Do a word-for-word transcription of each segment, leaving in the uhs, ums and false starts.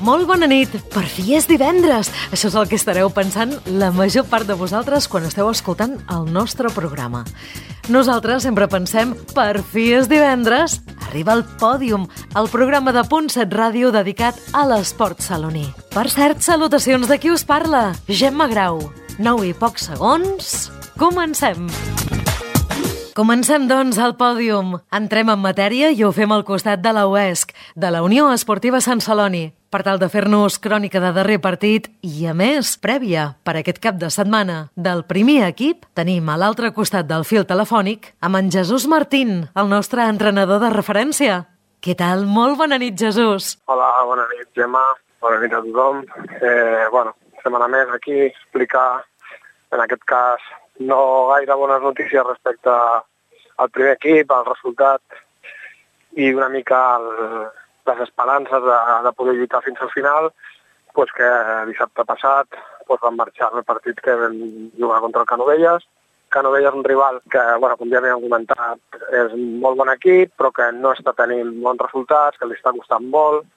Molt bona nit, per fi és divendres. Això és el que estareu pensant la major part de vosaltres quan esteu escoltant el nostre programa. Nosaltres sempre pensem, per fi és divendres, arriba el Pòdium, el programa de Punt set Ràdio dedicat a l'esport saloní. Per cert, salutacions de qui us parla, Gemma Grau. Nou i pocs segons, comencem! Comencem, doncs, el Pòdium. Entrem en matèria i ho fem al costat de la U E S C, de la Unió Esportiva Sant Celoni, per tal de fer-nos crònica de darrer partit i, a més, prèvia per aquest cap de setmana. Del primer equip tenim a l'altre costat del fil telefònic amb en Jesús Martín, el nostre entrenador de referència. Què tal? Molt bona nit, Jesús. Hola, bona nit, Gemma. Bona nit a tothom. Eh, bueno, setmana més aquí, explicar, en aquest cas, no gaire bones notícies respecte al primer equip, al resultat i una mica el, les esperances de, de poder lluitar fins al final, pues que dissabte passat pues van marxar el partit que vam jugar contra el Canovelles. Canovelles és un rival que, bueno, com ja havíem comentat, és un molt bon equip, però que no està tenint bons resultats, que li està costant molt,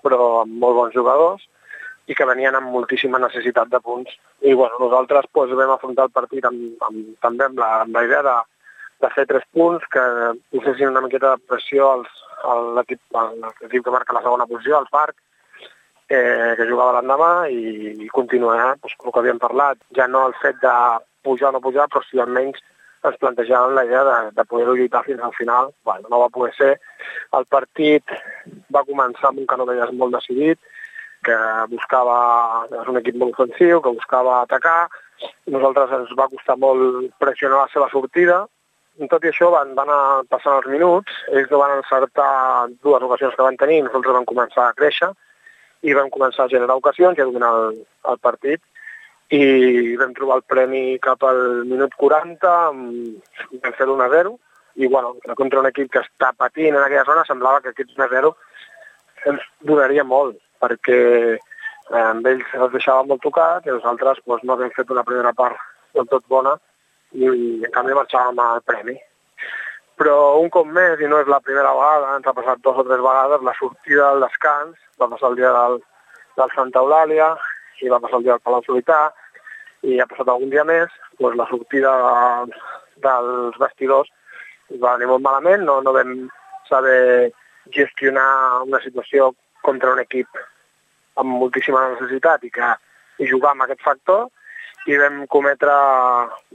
però amb molt bons jugadors, i que venien amb moltíssima necessitat de punts. I bueno, nosaltres pues, vam afrontar el partit amb, amb, també amb la, amb la idea de, de fer tres punts, que posessin una miqueta de pressió als, a l'equip, a l'equip que marca la segona posició, al Parc, eh, que jugava l'endemà, i, i continuar pues, el que havíem parlat. Ja no el fet de pujar o no pujar, però si almenys ens plantejàvem la idea de, de poder lluitar fins al final. Bueno, no va poder ser. El partit va començar amb un Canovelles molt decidit, que buscava, és un equip molt ofensiu, que buscava atacar. Nosaltres ens va costar molt pressionar la seva sortida. Tot i això van, van anar passant els minuts, ells van encertar dues ocasions que van tenir, nosaltres vam començar a créixer i vam començar a generar ocasions i a dominar el, el partit. I vam trobar el premi cap al minut quaranta, vam fer l'u a zero, i bueno, contra un equip que està patint en aquella zona semblava que aquest u a zero ens donaria molt, perquè eh, amb ells els deixava molt tocat i nosaltres doncs, no havíem fet una primera part del tot bona i, i en canvi marxàvem al premi. Però un cop més, i no és la primera vegada, ens ha passat dos o tres vegades, la sortida del descans, va passar el dia del, del Santa Eulàlia i va passar el dia del Palau Solità i ha passat algun dia més, doncs la sortida de, dels vestidors va venir molt malament, no, no vam saber gestionar una situació contra un equip amb moltíssima necessitat i que i jugar amb aquest factor, i vam cometre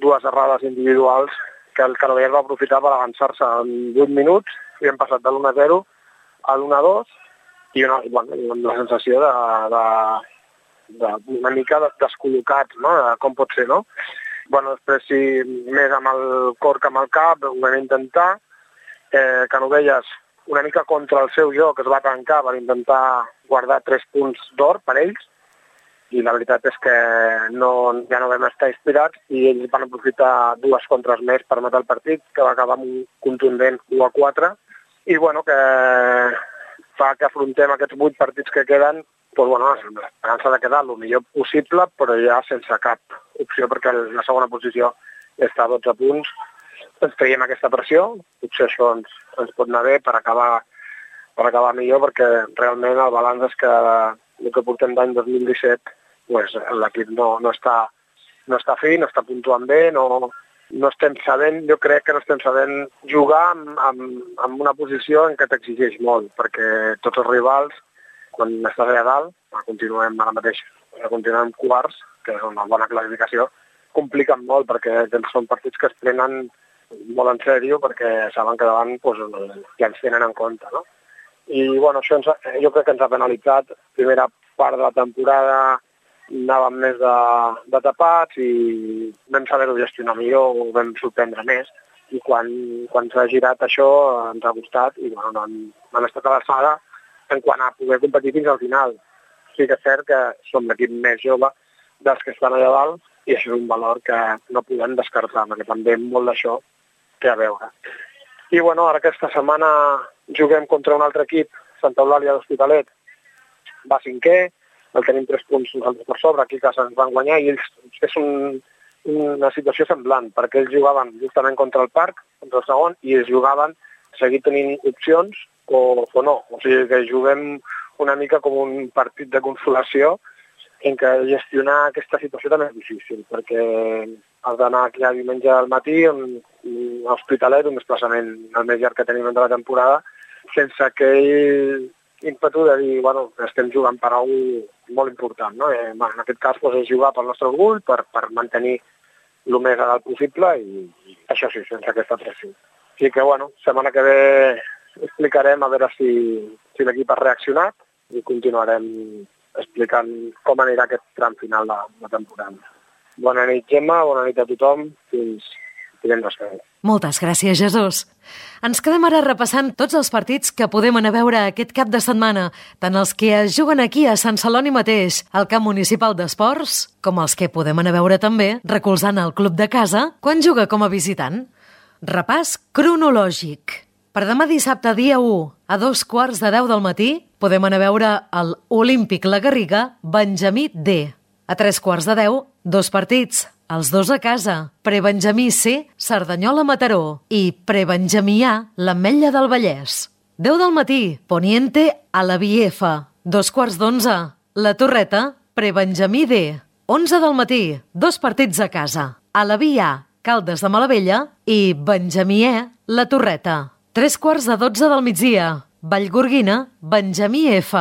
dues errades individuals que el Canovelles va aprofitar per avançar-se en vuit minuts i hem passat de l'u a zero a l'u a dos i una, bueno, amb la sensació de, de, de una mica descol·locats, no? De com pot ser, no? Bueno, després sí, més amb el cor que amb el cap, ho vam intentar. Eh, Canovelles una mica contra el seu joc, es va tancar per intentar guardar tres punts d'or per ells, i la veritat és que no, ja no vam estar inspirats i ells van aprofitar dues contres més per matar el partit, que va acabar amb un contundent u a quatre, i bueno, que fa que afrontem aquests vuit partits que queden, doncs, bueno, l'esperança de quedar el millor possible, però ja sense cap opció, perquè la segona posició està a dotze punts. Ens traiem aquesta pressió, potser això ens, ens pot anar bé per acabar, per acabar millor, perquè realment el balanç és que el que portem d'any dos mil disset pues, l'equip no, no, està, no està fi, no està puntuant bé, no, no estem sabent, jo crec que no estem sabent jugar amb, amb, amb una posició en què t'exigeix molt, perquè tots els rivals, quan estàs allà dalt, continuem ara mateix, continuem quarts, que és una bona classificació, compliquen molt, perquè són partits que es prenen molt en sèrio, perquè saben que davant pues, ja ens tenen en compte, no? I bueno, això ens, jo crec que ens ha penalitzat. Primera part de la temporada anàvem més de, de tapats i vam saber-ho gestionar millor, ho vam sorprendre més, i quan, quan s'ha girat això ens ha costat i bueno, no han, no han estat a l'alçada en quant a poder competir fins al final. Sí que és cert que som l'equip més jove dels que estan allà dalt i això és un valor que no podem descartar, perquè també molt d'això té a veure. I bueno, ara aquesta setmana juguem contra un altre equip, Santa Eulàlia d'Hospitalet, va cinquè, el tenim tres punts nosaltres per sobre, aquí que se'ns van guanyar, i ells és un, una situació semblant, perquè ells jugaven justament contra el Parc, contra el segon, i ells jugaven seguir tenint opcions o, o no. O sigui que juguem una mica com un partit de consolació en què gestionar aquesta situació també és difícil, perquè has d'anar aquí a diumenge al matí, un, un hospitalet, un desplaçament el més llarg que tenim de la temporada, sense aquell ímpetu de dir, bueno, estem jugant per alguna cosa molt important, no? Eh, bueno, en aquest cas doncs, és jugar pel nostre orgull, per, per mantenir el més a dalt possible i, i això sí, sense aquesta pressió. Així que, bueno, setmana que ve explicarem a veure si, si l'equip ha reaccionat i continuarem explicant com anirà aquest tram final de la temporada. Bona nit, Gemma, bona nit a tothom, fins divendres que ve. Moltes gràcies, Jesús. Ens quedem ara repassant tots els partits que podem anar a veure aquest cap de setmana, tant els que es juguen aquí a Sant Celoni mateix, al camp municipal d'esports, com els que podem anar a veure també recolzant el club de casa quan juga com a visitant. Repàs cronològic. Per demà dissabte, dia u, a dos quarts de deu del matí, podem anar a veure el Olímpic La Garriga, Benjamí D. A tres quarts de deu, dos partits, els dos a casa, Prebenjamí C, Cerdanyola Mataró i Prebenjamí A, l'Ametlla del Vallès. deu del matí, Poniente a la F, dos quarts d'onze, La Torreta, Prebenjamí D. onze del matí, dos partits a casa, a la A, Caldes de Malavella i Benjamí E, La Torreta. Tres quarts de dotze del migdia, Vallgorguina, Benjamí F.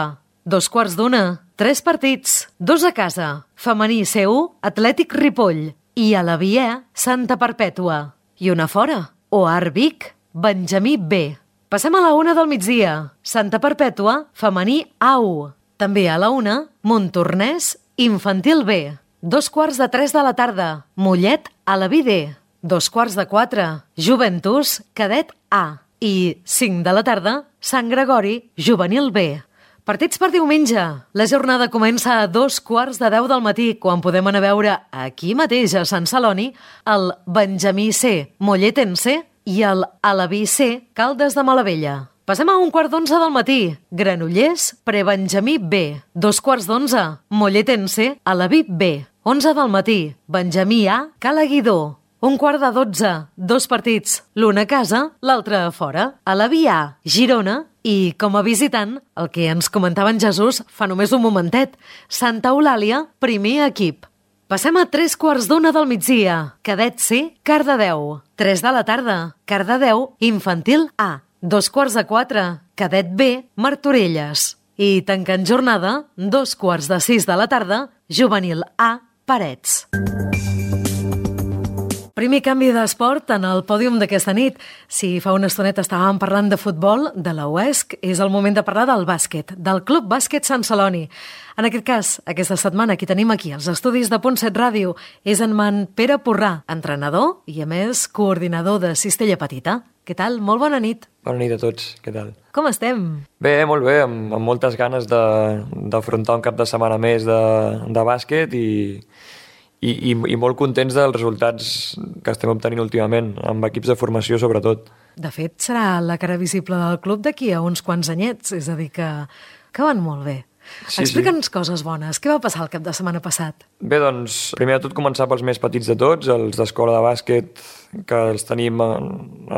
Dos quarts d'una, tres partits, dos a casa, femení C u, Atlètic Ripoll i a la Via, Santa Perpètua. I una fora, Oar Vic, Benjamí B. Passem a la una del migdia, Santa Perpètua, femení A u. També a la una, Montornès, Infantil B. Dos quarts de tres de la tarda, Mollet a la D. Dos quarts de quatre, Juventus, Cadet A. I cinc de la tarda, Sant Gregori, Juvenil B. Partits per diumenge. La jornada comença a dos quarts de deu del matí, quan podem anar a veure aquí mateix a Sant Celoni el Benjamí C, Molletense i el Alaví C, Caldes de Malavella. Passem a un quart d'onze del matí. Granollers, Prebenjamí B. Dos quarts d'onze, Molletense, Alaví B. Onze del matí, Benjamí A, Cala Guidó. Un quart de dotze, dos partits, l'un a casa, l'altre a fora, a la Via, Girona i, com a visitant, el que ens comentava en Jesús fa només un momentet, Santa Eulàlia, primer equip. Passem a tres quarts d'una del migdia, Cadet C, Cardedeu. Tres de la tarda, Cardedeu, Infantil A. Dos quarts de quatre, Cadet B, Martorelles. I tancant jornada, dos quarts de sis de la tarda, Juvenil A, Parets. Primer canvi d'esport en el pòdium d'aquesta nit. Si fa una estoneta estàvem parlant de futbol, de la U E S C, és el moment de parlar del bàsquet, del Club Bàsquet Sant Celoni. En aquest cas, aquesta setmana, qui tenim aquí als estudis de Punt set Ràdio és en Man Pere Porrà, entrenador i, a més, coordinador de Cistella Petita. Què tal? Molt bona nit. Bona nit a tots, què tal? Com estem? Bé, molt bé, amb, amb moltes ganes d'afrontar un cap de setmana més de, de bàsquet i... I, i, i molt contents dels resultats que estem obtenint últimament, amb equips de formació sobretot. De fet, serà la cara visible del club d'aquí a uns quants anyets, és a dir que, que van molt bé. Sí, Explica'ns sí. coses bones. Què va passar el cap de setmana passat? Bé, doncs, primer de tot començar pels més petits de tots, els d'escola de bàsquet, que els tenim en,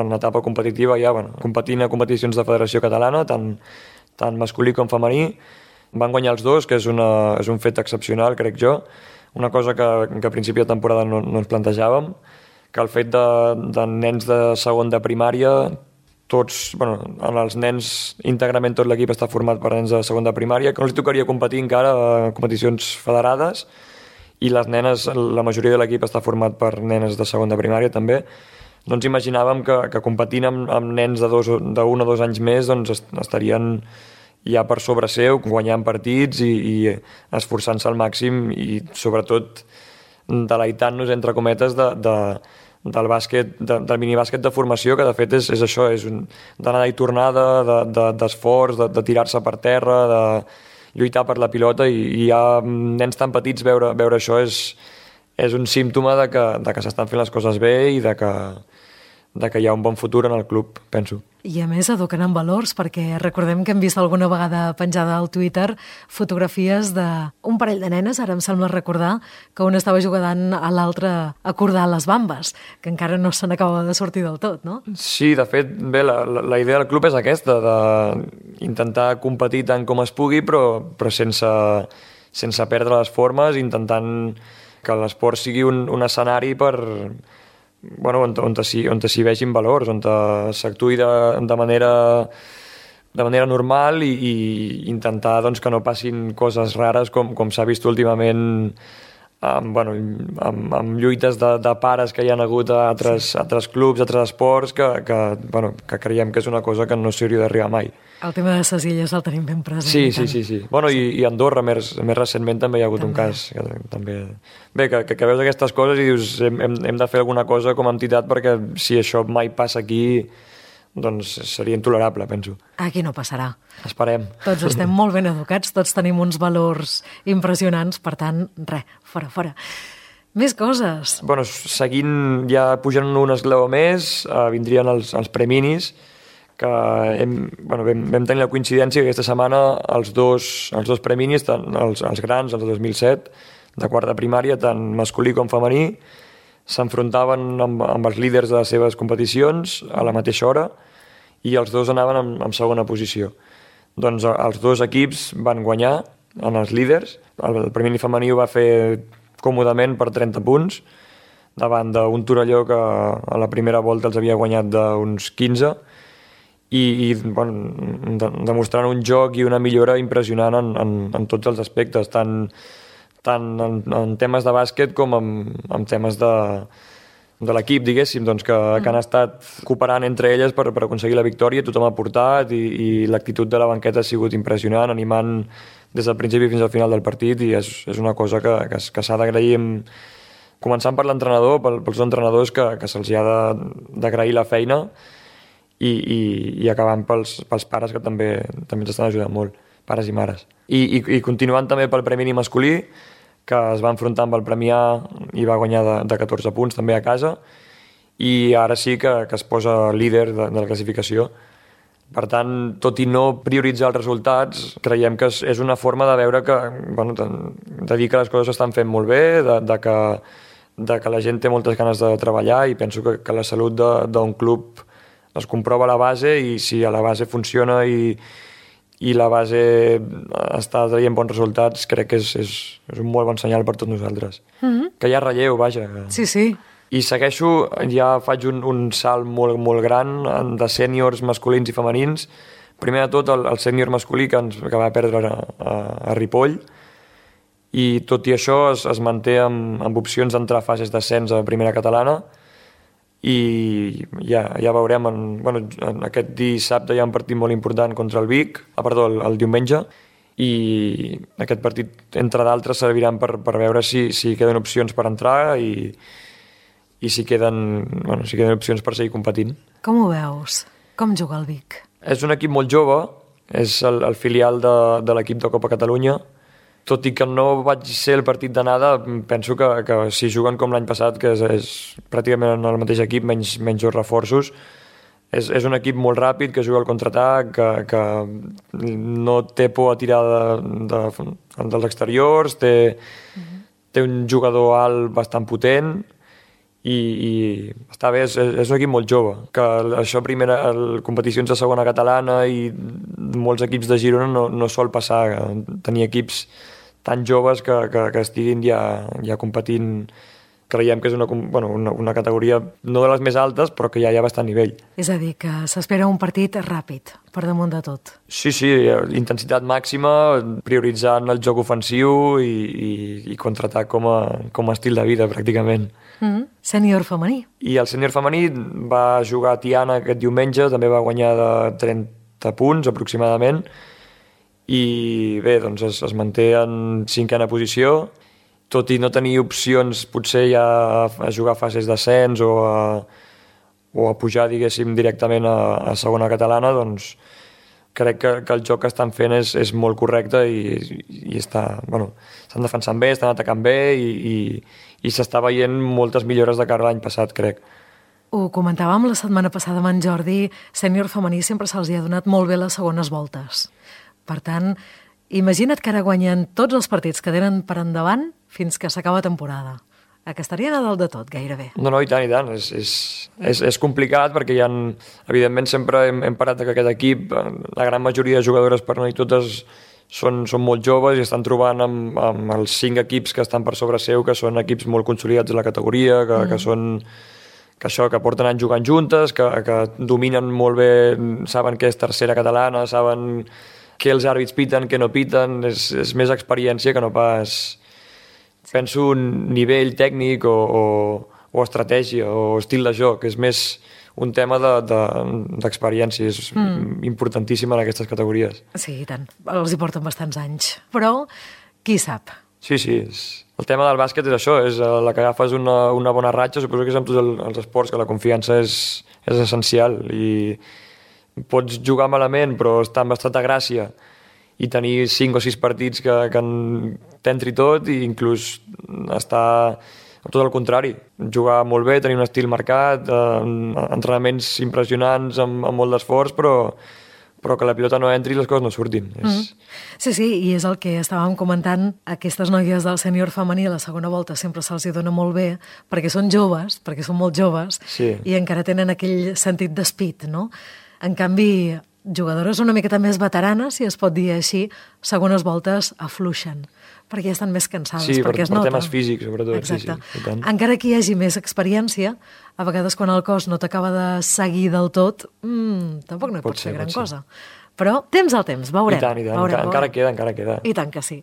en etapa competitiva ja, bueno, competint a competicions de Federació Catalana, tant, tant masculí com femení. Van guanyar els dos, que és, una, és un fet excepcional, crec jo. Una cosa que, que a principi de temporada no, no ens plantejàvem, que el fet de, de nens de segon de primària, tots, bueno, en els nens íntegrament tot l'equip està format per nens de segon de primària, que no els tocaria competir encara a competicions federades, i les nenes, la majoria de l'equip està format per nenes de segon de primària també. No ens imaginàvem que, que competint amb, amb nens de, dos, de un o dos anys més doncs estarien ja per sobre seu, guanyant partits i, i esforçant-se al màxim i sobretot deleitant-nos, entre cometes, de, de, del bàsquet, de, del minibàsquet de formació, que de fet és, és això, és un, d'anada i tornada, d'esforç, de, de, de tirar-se per terra, de lluitar per la pilota, i, i hi ha nens tan petits, veure, veure això és, és un símptoma de que, de que s'estan fent les coses bé i de que, de que hi ha un bon futur en el club, penso. I a més eduquen en valors, perquè recordem que hem vist alguna vegada penjada al Twitter fotografies d'un parell de nenes, ara em sembla recordar que una estava jugant a l'altra a cordar les bambes, que encara no se n'acaba de sortir del tot, no? Sí, de fet, bé, la, la idea del club és aquesta, d'intentar competir tant com es pugui, però, però sense, sense perdre les formes, intentant que l'esport sigui un, un escenari per... bueno, on, on, on s'hi vegin valors, on s'actuï de, de manera de manera normal i, i intentar doncs, que no passin coses rares com, com s'ha vist últimament amb, bueno, amb, amb lluites de, de pares que hi ha hagut a altres, sí. altres clubs, a altres esports, que, que, bueno, que creiem que és una cosa que no s'hauria d'arribar mai. El tema de ses illes el tenim ben present. Sí, sí, sí, sí. Bueno, i, i a Andorra, més, més recentment, també hi ha hagut també. un cas. Que, també... Bé, que, que, que veus aquestes coses i dius hem, hem de fer alguna cosa com a entitat perquè si això mai passa aquí, doncs seria intolerable, penso. Aquí no passarà. Esperem. Tots estem molt ben educats, tots tenim uns valors impressionants, per tant, res, fora, fora. Més coses. Bueno, seguint, ja pujant un esglaó més, eh, vindrien els, els preminis, que hem, bueno, vam, vam tenir la coincidència que aquesta setmana els dos, els dos preminis, tant els, els grans, els de dos mil set, de quart de primària, tant masculí com femení, s'enfrontaven amb, amb els líders de les seves competicions a la mateixa hora i els dos anaven en, en segona posició. Doncs els dos equips van guanyar en els líders. El, el premini femení ho va fer còmodament per trenta punts davant d'un Torelló que a la primera volta els havia guanyat d'uns quinze i, i bueno, de, demostrant un joc i una millora impressionant en, en, en tots els aspectes, tant, tant en, en temes de bàsquet com en, en temes de, de l'equip, diguéssim, doncs que, mm. que han estat cooperant entre elles per, per aconseguir la victòria, tothom ha portat i, i l'actitud de la banqueta ha sigut impressionant, animant des del principi fins al final del partit i és, és una cosa que, que, que s'ha d'agrair, començant per l'entrenador, pel, pels entrenadors que, que se'ls ha d'agrair la feina i, i, i acabant pels, pels pares que també, també ens estan ajudant molt, pares i mares. I, i, i continuant també pel premi masculí, que es va enfrontar amb el Premi A i va guanyar de, de catorze punts també a casa i ara sí que, que es posa líder de, de la classificació. Per tant, tot i no prioritzar els resultats, creiem que és, és una forma de veure que, bueno, de dir que les coses s'estan fent molt bé, de, de, que, de que la gent té moltes ganes de treballar i penso que, que la salut d'un club es comprova a la base i si a la base funciona i, i la base està traient bons resultats, crec que és, és, és un molt bon senyal per tots nosaltres. Mm-hmm. Que hi ha relleu, vaja. Sí, sí. I segueixo, ja faig un, un salt molt, molt gran de sèniors masculins i femenins. Primer de tot, el, el sènior masculí que, ens, que va perdre a, a, a Ripoll, i tot i això es, es manté amb, amb opcions d'entrar a fases d'ascens a primera catalana, i ja, ja veurem, en, bueno, en aquest dissabte hi ha un partit molt important contra el Vic, ah, perdó, el, el diumenge, i aquest partit, entre d'altres, serviran per, per veure si, si queden opcions per entrar i, i si queden, bueno, si queden opcions per seguir competint. Com ho veus? Com juga el Vic? És un equip molt jove, és el, el filial de, de l'equip de Copa Catalunya. Tot i que no vaig ser el partit d'anada, penso que, que si juguen com l'any passat, que és, és pràcticament el mateix equip, menys, menys dos reforços, és, és un equip molt ràpid, que juga al contraatac, que, que no té por a tirar de, de, dels exteriors, té, uh-huh. té un jugador alt bastant potent i, i està bé, és, és un equip molt jove, que això primera, el, competicions de segona catalana i molts equips de Girona no, no sol passar, tenir equips tan joves que, que, que estiguin ja, ja competint. Creiem que és una, bueno, una, una categoria no de les més altes, però que ja hi ha bastant nivell. És a dir, que s'espera un partit ràpid, per damunt de tot. Sí, sí, intensitat màxima, prioritzant el joc ofensiu i, i, i contraatac com a, com a estil de vida, pràcticament. Mm-hmm. Sènior femení. I el sènior femení va jugar a Tiana aquest diumenge, també va guanyar de trenta punts aproximadament, i bé, doncs es, es manté en cinquena posició, tot i no tenir opcions potser ja a jugar fases d'ascens o a, o a pujar, diguéssim, directament a, a segona catalana, doncs crec que, que el joc que estan fent és, és molt correcte i, i està, bueno, estan defensant bé, estan atacant bé i, i, i s'està veient moltes millores de cara a l'any passat, crec. Ho comentàvem la setmana passada amb en Jordi, sènior femení sempre se'ls hi ha donat molt bé les segones voltes. Per tant, imagina't que ara guanyen tots els partits que tenen per endavant fins que s'acaba temporada. Que estarien a dalt de tot, gairebé. No, no, i tant, i tant. És, és, és, és complicat perquè hi ha, evidentment, sempre hem, hem parat que aquest equip, la gran majoria de jugadores, per no dir totes, són, són molt joves i estan trobant amb, amb els cinc equips que estan per sobre seu, que són equips molt consolidats de la categoria, que, mm. que són que això, que porten anys jugant juntes, que, que dominen molt bé, saben què és tercera catalana, saben què els àrbits piten, què no piten, és, és més experiència que no pas... Penso un nivell tècnic o, o, o estratègia o estil de joc, és més un tema d'experiència, de, de, és mm. importantíssim en aquestes categories. Sí, i tant, els hi porten bastants anys, però qui sap? Sí, sí, és... el tema del bàsquet és això, és la que agafes una, una bona ratxa, suposo que és amb tots el, els esports, que la confiança és, és essencial i pots jugar malament però estar amb estat de gràcia i tenir cinc o sis partits que, que t'entri tot i inclús estar tot el contrari, jugar molt bé, tenir un estil marcat, eh, entrenaments impressionants amb, amb molt d'esforç, però, però que la pilota no entri i les coses no surtin. Mm. És... Sí, sí, i és el que estàvem comentant, aquestes noies del sènior femení a la segona volta sempre se'ls hi dona molt bé, perquè són joves, perquè són molt joves, sí. I encara tenen aquell sentit d'espit, no? En canvi, jugadores una miqueta més veteranes, si es pot dir així, segones voltes afluixen, perquè ja estan més cansades, sí, perquè per, es nota. per temes físics, sobretot. Exacte. Sí, sí, encara que hi hagi més experiència, a vegades quan el cos no t'acaba de seguir del tot, mmm, tampoc no hi pot, pot ser gran cosa. Però temps al temps, veurem. I tant, i tant, veurem, encara, encara queda, encara queda. I tant que sí.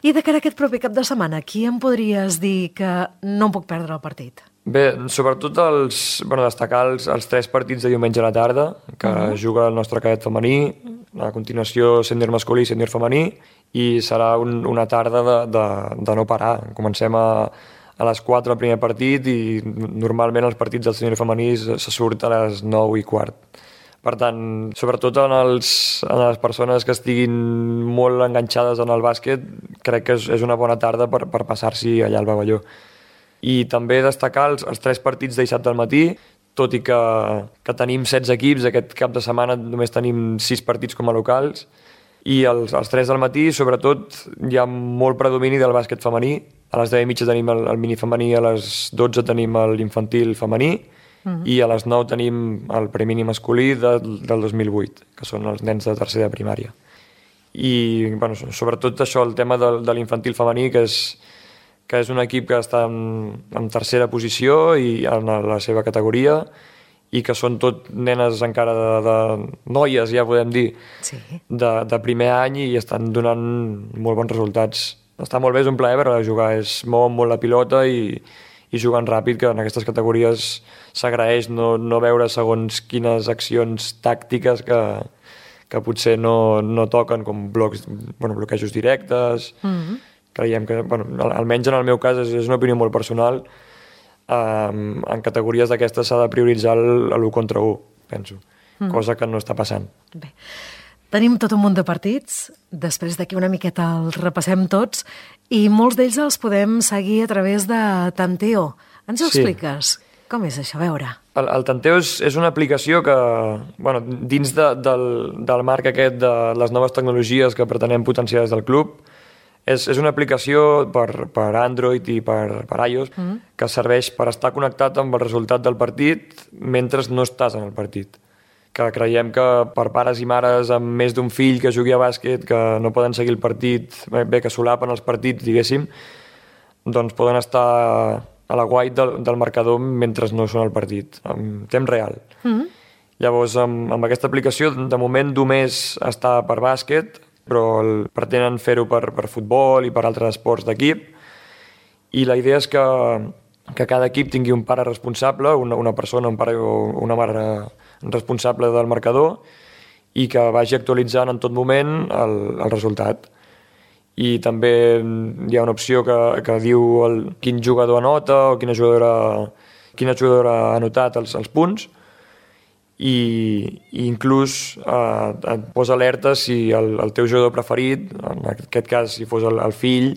I de cara a aquest proper cap de setmana, qui em podries dir que no em puc perdre el partit? Bé, sobretot els, bueno, destacar els, els tres partits de diumenge a la tarda, que uh-huh. juga el nostre cadet femení, a continuació sènior masculí i sènior femení, i serà un, una tarda de, de, de no parar. Comencem a, a les quatre el primer partit i normalment els partits del sènior femení se, se surt a les nou i quart. Per tant, sobretot en, els, en les persones que estiguin molt enganxades en el bàsquet, crec que és, és una bona tarda per, per passar-s'hi allà al pavelló. I també destacar els, els tres partits de dissabte al matí, tot i que, que tenim setze equips, aquest cap de setmana només tenim sis partits com a locals, i els, els tres del matí, sobretot, hi ha molt predomini del bàsquet femení. A les deu i mitja tenim el, el mini femení, a les dotze tenim l'infantil femení, uh-huh. i a les nou tenim el premini masculí de, del dos mil vuit, que són els nens de tercer de primària. I, bueno, sobretot això, el tema de, de l'infantil femení, que és que és un equip que està en, en tercera posició i en la seva categoria i que són tot nenes encara de, de noies, ja podem dir, sí. de, de primer any i estan donant molt bons resultats. Està molt bé, és un plaer veure jugar, es mouen molt la pilota i, i juguen ràpid, que en aquestes categories s'agraeix no, no veure segons quines accions tàctiques que, que potser no, no toquen, com blocs, bueno, bloquejos directes... Mm-hmm. Creiem que, bueno, almenys en el meu cas, és, és una opinió molt personal, um, en categories d'aquestes s'ha de prioritzar l'u contra u, penso, mm. cosa que no està passant. Bé, tenim tot un munt de partits, després d'aquí una miqueta els repassem tots, i molts d'ells els podem seguir a través de Tanteo. Ens ho sí. expliques? Com és això? A veure. El, el Tanteo és, és una aplicació que, bueno, dins de, del, del marc aquest de les noves tecnologies que pretenem potenciar des del club, És, és una aplicació per, per Android i per, per iOS mm. que serveix per estar connectat amb el resultat del partit mentre no estàs en el partit. Que creiem que per pares i mares amb més d'un fill que jugui a bàsquet, que no poden seguir el partit, bé, que solapen els partits, diguéssim, doncs poden estar a la guait del, del marcador mentre no són al partit, en temps real. Mm. Llavors, amb, amb aquesta aplicació, de moment només està per bàsquet, però el, pretenen fer-ho per, per futbol i per altres esports d'equip, i la idea és que, que cada equip tingui un pare responsable, una, una persona, un pare o una mare responsable del marcador, i que vagi actualitzant en tot moment el, el resultat. I també hi ha una opció que, que diu el, quin jugador anota o quina jugadora, quina jugadora ha anotat els, els punts, i, i inclús eh, et posa alerta si el, el teu jugador preferit, en aquest cas si fos el, el fill,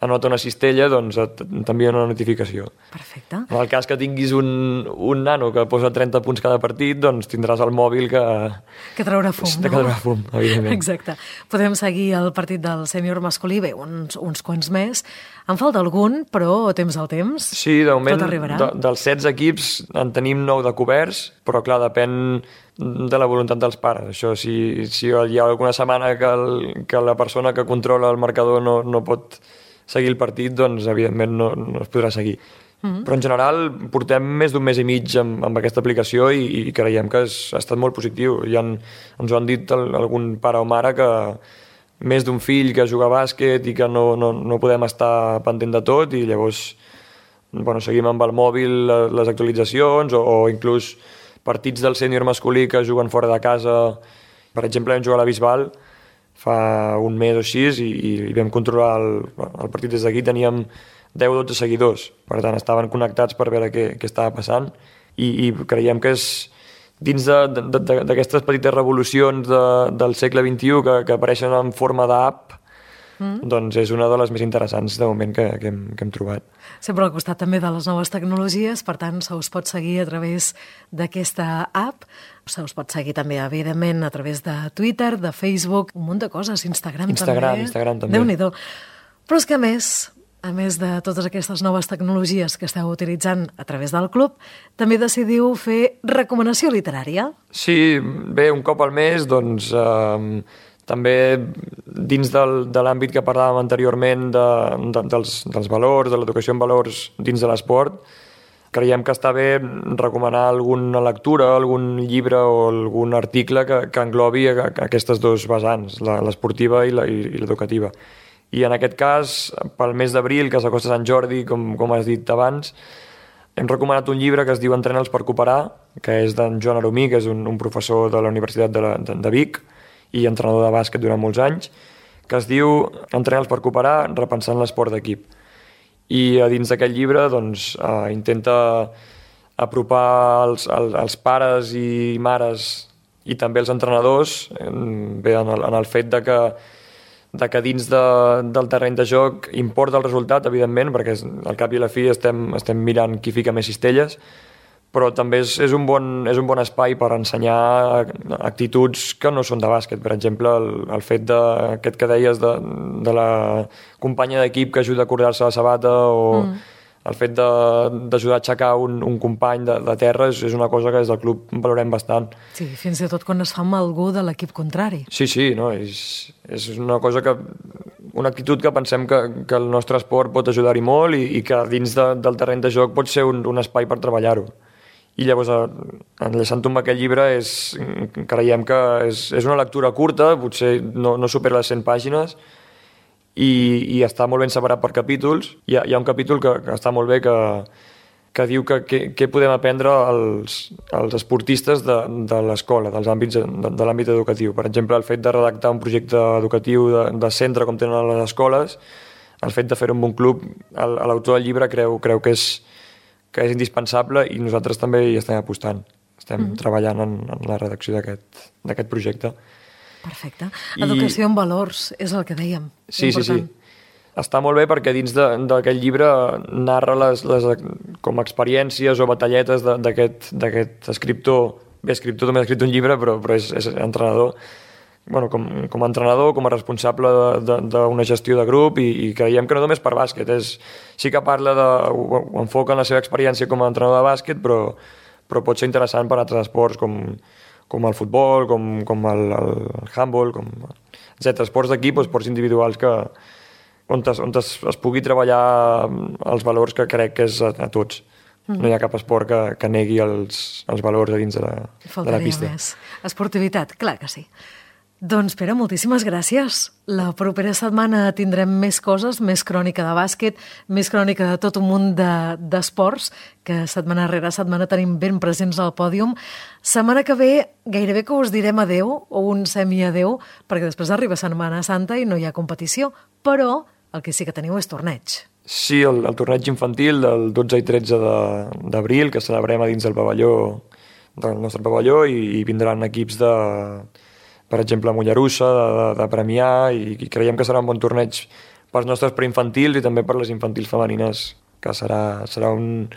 anota una cistella, doncs t'envien una notificació. Perfecte. En el cas que tinguis un, un nano que posa trenta punts cada partit, doncs tindràs el mòbil que... Que traurà fum, que no? traurà fum, evidentment. Exacte. Podem seguir el partit del sènior masculí, bé, uns, uns quants més. En falta algun, però temps al temps. Sí, de moment, tot arribarà. De, dels setze equips en tenim nou de coberts, però clar, depèn de la voluntat dels pares. Això, si, si hi ha alguna setmana que, el, que la persona que controla el marcador no, no pot seguir el partit, doncs evidentment no, no es podrà seguir. Mm-hmm. Però en general portem més d'un mes i mig amb, amb aquesta aplicació i, i creiem que és, ha estat molt positiu. Ja han, ens ho han dit el, algun pare o mare que més d'un fill que juga a bàsquet i que no, no, no podem estar pendent de tot i llavors bueno, seguim amb el mòbil les actualitzacions o, o inclús partits del sènior masculí que juguen fora de casa. Per exemple, vam jugar a la Bisbal fa un mes o així i, i vam controlar el, el partit des d'aquí, teníem deu o dotze seguidors, per tant estaven connectats per veure què, què estava passant i, i creiem que és dins d'aquestes petites revolucions de, del segle vint-i-u que, que apareixen en forma d'app, mm. doncs és una de les més interessants de moment que, que, hem, que hem trobat. Sempre al costat també de les noves tecnologies, per tant se us pot seguir a través d'aquesta app, se us pot seguir també, evidentment, a través de Twitter, de Facebook, un munt de coses, Instagram, Instagram també. Instagram també. Déu-n'hi-do. Però és que a més... a més de totes aquestes noves tecnologies que esteu utilitzant a través del club, també decidiu fer recomanació literària. Sí, bé, un cop al mes, doncs, eh, també dins del, de l'àmbit que parlàvem anteriorment de, de, dels, dels valors, de l'educació en valors dins de l'esport, creiem que està bé recomanar alguna lectura, algun llibre o algun article que, que englobi aquestes dues vessants, l'esportiva i l'educativa. I en aquest cas, pel mes d'abril, que s'acosta Sant Jordi, com, com has dit abans, hem recomanat un llibre que es diu Entrena'ls per cooperar, que és d'en Joan Aromí, que és un, un professor de la Universitat de, la, de, de Vic i entrenador de bàsquet durant molts anys, que es diu Entrena'ls per cooperar, repensant l'esport d'equip. I a dins d'aquest llibre doncs, eh, intenta apropar els, els, els pares i mares i també els entrenadors bé, en, el, en el fet de que de que dins de, del terreny de joc importa el resultat, evidentment, perquè al cap i a la fi estem, estem mirant qui fica més cistelles, però també és, és, un bon, és un bon espai per ensenyar actituds que no són de bàsquet. Per exemple, el, el fet d'aquest que deies de, de la companya d'equip que ajuda a acordar-se la sabata o mm. el fet d'ajudar a aixecar un, un company de, de terra és, és una cosa que des del club valorem bastant. Sí, fins i tot quan es fa amb algú de l'equip contrari. Sí, sí, no, és, és una cosa que... una actitud que pensem que, que el nostre esport pot ajudar-hi molt i, i que dins de, del terreny de joc pot ser un, un espai per treballar-ho. I llavors, enllaçant-ho amb aquest llibre, és, creiem que és, és una lectura curta, potser no, no supera les cent pàgines, i, i està molt ben separat per capítols. Hi ha, hi ha un capítol que, que està molt bé que, que diu que què podem aprendre els, els esportistes de, de l'escola, dels àmbits de, de l'àmbit educatiu. Per exemple, el fet de redactar un projecte educatiu de, de centre com tenen a les escoles, el fet de fer-ho amb un club, l'autor del llibre creu, creu que, és, que és indispensable i nosaltres també hi estem apostant. Estem mm-hmm. treballant en, en la redacció d'aquest projecte. Perfecte. Educació I... en valors, és el que dèiem. Sí, sí, sí. Està molt bé perquè dins d'aquest llibre narra les, les, com experiències o batalletes d'aquest escriptor. Bé, escriptor també ha escrit un llibre, però, però és, és entrenador. Bueno, com, com a entrenador, com a responsable d'una gestió de grup i, i creiem que no només per bàsquet. És, sí que parla de... ho enfoca en la seva experiència com a entrenador de bàsquet, però, però pot ser interessant per a altres esports com... com el futbol, com, com el, el handball, com etcètera. Esports d'equip o esports individuals que, on, es, on es, es pugui treballar els valors que crec que és a, a tots. Mm. No hi ha cap esport que, que negui els, els valors a dins de la, de la pista. Més. Esportivitat, clar que sí. Doncs, Pere, moltíssimes gràcies. La propera setmana tindrem més coses, més crònica de bàsquet, més crònica de tot un munt d'esports, de, que setmana rere setmana tenim ben presents al pòdium. Setmana que ve gairebé que us direm adeu, o un semi-adeu, perquè després arriba Setmana Santa i no hi ha competició, però el que sí que teniu és torneig. Sí, el, el torneig infantil del dotze i tretze d'abril, que celebrem a dins del pavelló, del nostre pavelló, i, i vindran equips de... per exemple, a Mollerussa, de, de, de Premià, i, i creiem que serà un bon torneig pels nostres preinfantils i també per les infantils femenines, que serà, serà un,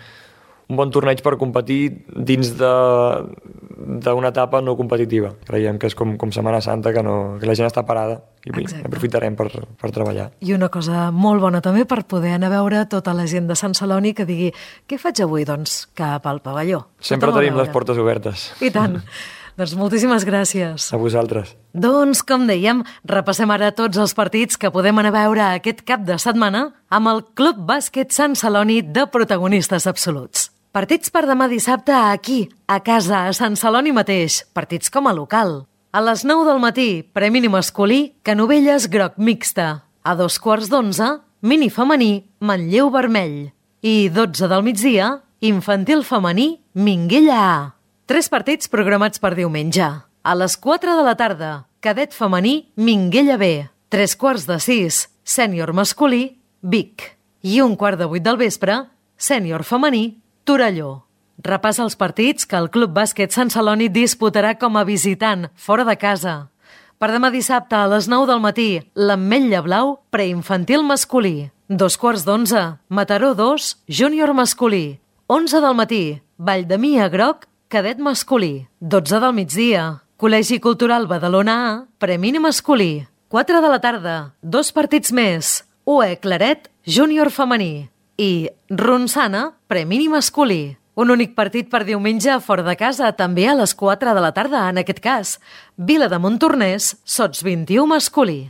un bon torneig per competir dins d'una etapa no competitiva. Creiem que és com, com Setmana Santa, que, no, que la gent està parada i Exacte. aprofitarem per, per treballar. I una cosa molt bona també per poder anar a veure tota la gent de Sant Celoni que digui què faig avui? Doncs cap al pavelló. Sempre tenim les portes obertes. I tant. Doncs moltíssimes gràcies. A vosaltres. Doncs, com dèiem, repassem ara tots els partits que podem anar a veure aquest cap de setmana amb el Club Bàsquet Sant Celoni de protagonistes absoluts. Partits per demà dissabte aquí, a casa, a Sant Celoni mateix. Partits com a local. A les nou del matí, premi masculí, Canovelles groc mixta. A dos quarts d'onze, mini femení, Manlleu vermell. I dotze del migdia, infantil femení, Minguella A. Tres partits programats per diumenge. A les quatre de la tarda, cadet femení, Minguella B. Tres quarts de sis, sènior masculí, Vic. I un quart de vuit del vespre, sènior femení, Torelló. Repassa els partits que el Club Bàsquet Sant Celoni disputarà com a visitant, fora de casa. Per demà dissabte, a les nou del matí, l'Ametlla Blau, preinfantil masculí. Dos quarts d'onze, Mataró dos, júnior masculí. Onze del matí, Valldemia groc, cadet masculí. dotze del migdia, Col·legi Cultural Badalona A, premini masculí. quatre de la tarda, dos partits més, U E Claret, júnior femení. I Ronçana, premini masculí. Un únic partit per diumenge fora de casa, també a les quatre de la tarda, en aquest cas. Vila de Montornès, Sots vint-i-u masculí.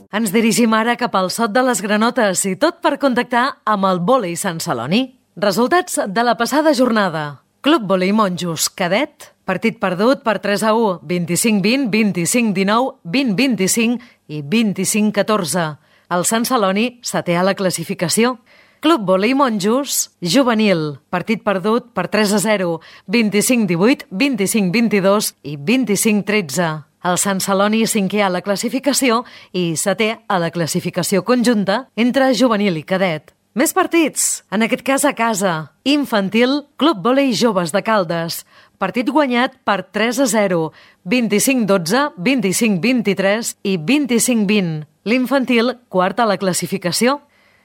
Ens dirigim ara cap al Sot de les Granotes i tot per contactar amb el vòlei Sant Celoni. Resultats de la passada jornada. Club Vòlei Monjos, cadet, partit perdut per tres a u, vint-i-cinc vint, vint-i-cinc dinou, vint vint-i-cinc i vint-i-cinc catorze. El Sant Celoni setè a la classificació. Club Vòlei Monjos, juvenil, partit perdut per tres a zero, vint-i-cinc divuit, vint-i-cinc vint-i-dos i vint-i-cinc tretze. El Sant Celoni cinquè a la classificació i setè a la classificació conjunta entre juvenil i cadet. Més partits, en aquest cas a casa. Infantil, Club Vòlei Joves de Caldes. Partit guanyat per tres a zero, vint-i-cinc dotze, vint-i-cinc vint-i-tres i vint-i-cinc vint. L'infantil, quart a la classificació.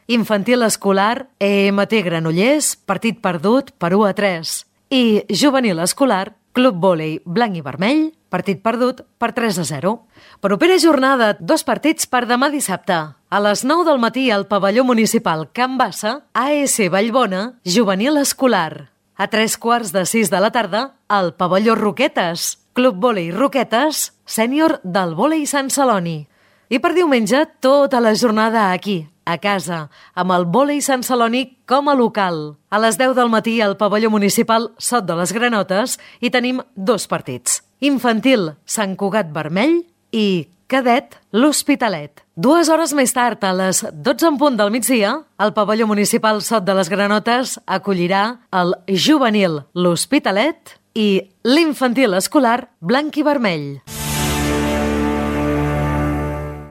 Infantil escolar, E M T Granollers, partit perdut per u a tres. I juvenil escolar, Club Vòlei Blanc i Vermell, partit perdut per tres a zero. Propera jornada, dos partits per demà dissabte. A les nou del matí al pavelló municipal Can Bassa, A S Vallbona, juvenil escolar. A tres quarts de sis de la tarda, al pavelló Roquetes, Club Vòlei Roquetes, sènior del vòlei Sant Celoni. I per diumenge, tota la jornada aquí, a casa, amb el vòlei Sant Celoni com a local. A les deu del matí al pavelló municipal Sot de les Granotes hi tenim dos partits. Infantil, Sant Cugat Vermell i cadet, l'Hospitalet. Dues hores més tard, a les dotze en punt del migdia, el pavelló municipal Sot de les Granotes acollirà el juvenil, l'Hospitalet i l'infantil escolar Blanc i Vermell.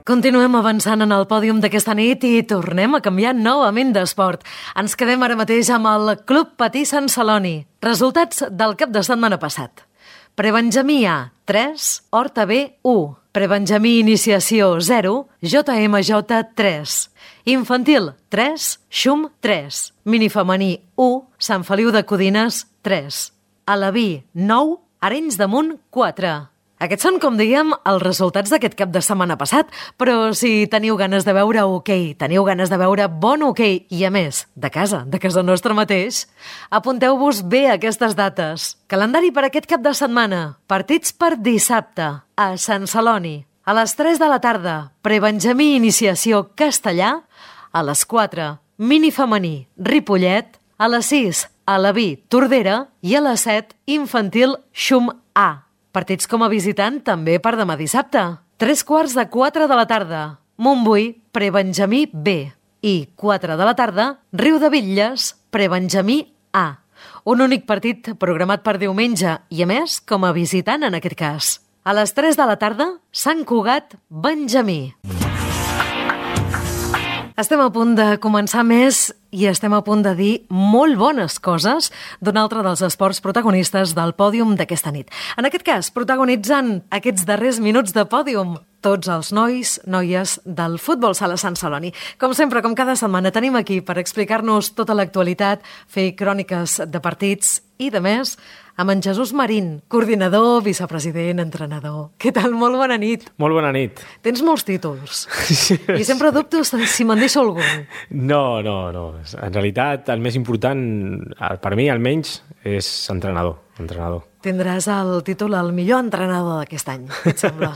Continuem avançant en el pòdium d'aquesta nit i tornem a canviar novament d'esport. Ens quedem ara mateix amb el Club Patí Sant Celoni. Resultats del cap de setmana passat. Prebenjamí A, tres, Horta B, u. Prebenjamí Iniciació, zero, J M J, tres. Infantil, tres, Xum, tres. Minifemení, u, Sant Feliu de Codines, tres. Alaví, nou, Arenys de Munt, quatre. Aquests són, com dèiem, els resultats d'aquest cap de setmana passat, però si teniu ganes de veure hoquei, teniu ganes de veure bon hoquei, i a més, de casa, de casa nostra mateix, apunteu-vos bé aquestes dates. Calendari per aquest cap de setmana. Partits per dissabte, a Sant Celoni. A les tres de la tarda, Prebenjamí Iniciació Castellà. A les quatre, Minifemení Ripollet. A les sis, Alaví Tordera. I a les set, Infantil Xum A. Partits com a visitant també per demà dissabte. Tres quarts de quatre de la tarda, Montbui, Prebenjamí B. I quatre de la tarda, Riu de Bitlles, Prebenjamí A. Un únic partit programat per diumenge i, a més, com a visitant en aquest cas. A les tres de la tarda, Sant Cugat, Benjamí. Estem a punt de començar més i estem a punt de dir molt bones coses d'un altre dels esports protagonistes del pòdium d'aquesta nit. En aquest cas, protagonitzant aquests darrers minuts de pòdium, tots els nois, noies del futbol sala Sant Celoni. Com sempre, com cada setmana, tenim aquí per explicar-nos tota l'actualitat, fer cròniques de partits i, de més, amb en Jesús Marín, coordinador, vicepresident, entrenador. Què tal? Molt bona nit. Molt bona nit. Tens molts títols. I sempre dubto si me'n deixo algun. No, no, no. En realitat, el més important, per mi almenys, és entrenador. entrenador. Tindràs el títol el millor entrenador d'aquest any, què et sembla?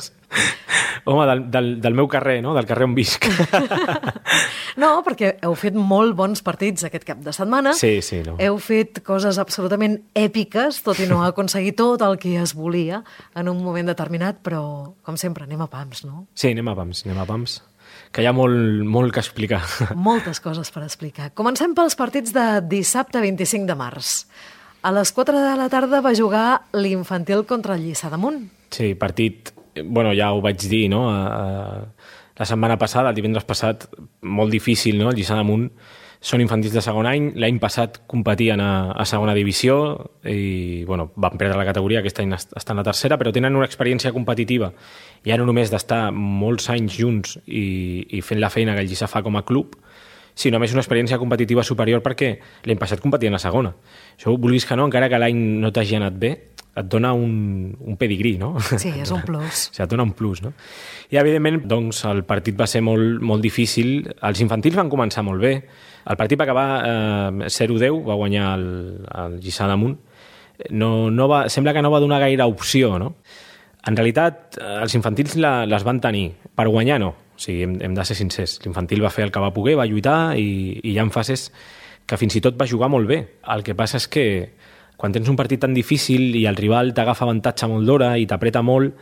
Home, del, del, del meu carrer, no? Del carrer on visc. No, perquè heu fet molt bons partits aquest cap de setmana. Sí, sí. No. Heu fet coses absolutament èpiques, tot i no aconseguir tot el que es volia en un moment determinat, però, com sempre, anem a pams, no? Sí, anem a pams, anem a pams. Que hi ha molt, molt que explicar. Moltes coses per explicar. Comencem pels partits de dissabte vint-i-cinc de març. A les quatre de la tarda va jugar l'infantil contra el Lliçà d'Amunt. Sí, partit... Bueno, ja ho vaig dir, no? La setmana passada, el divendres passat, molt difícil, no? El Lliçà d'Amunt són infantils de segon any. L'any passat competien a, a segona divisió i, bueno, van perdre la categoria, aquest any estan a tercera, però tenen una experiència competitiva, ja no només d'estar molts anys junts i, i fent la feina que el Lliçà fa com a club, sinó més una experiència competitiva superior perquè l'any passat competien a segona. Això, vulguis que no, encara que l'any no t'hagi anat bé, et dona un, un pedigrí, no? Sí, és un plus. O sigui, et dona un plus, no? I, evidentment, doncs, el partit va ser molt, molt difícil. Els infantils van començar molt bé. El partit va acabar eh, zero a deu, va guanyar el, el Lliçà d'Amunt. No, no va, sembla que no va donar gaire opció, no? En realitat, els infantils la, les van tenir. Per guanyar, no. O sigui, hem, hem de ser sincers. L'infantil va fer el que va poder, va lluitar i, i hi ha fases que fins i tot va jugar molt bé. El que passa és que quan tens un partit tan difícil i el rival t'agafa avantatge molt d'hora i t'apreta molt,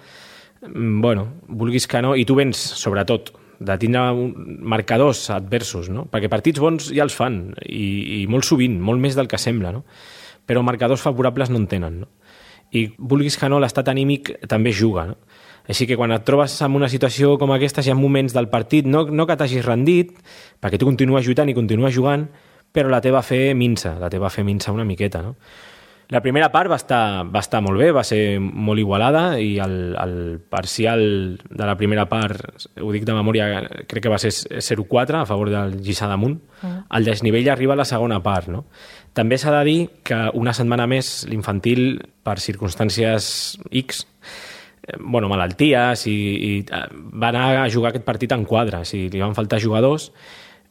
bueno, vulguis que no, i tu vens, sobretot, de tindre marcadors adversos, no? Perquè partits bons ja els fan, i, i molt sovint, molt més del que sembla, no? Però marcadors favorables no en tenen, no? I vulguis que no, l'estat anímic també juga, no? Així que quan et trobes en una situació com aquesta, hi ha moments del partit, no, no que t'hagis rendit, perquè tu continues lluitant i continues jugant, però la teva fe minsa, la teva fe minsa una miqueta, no? La primera part va estar, va estar molt bé, va ser molt igualada i el, el parcial de la primera part, ho dic de memòria, crec que va ser zero a quatre a favor del Lliçà d'Amunt. Mm. El desnivell arriba a la segona part, no? També s'ha de dir que una setmana més l'infantil, per circumstàncies X, bueno, malalties, i, i va anar a jugar aquest partit en quadres i li van faltar jugadors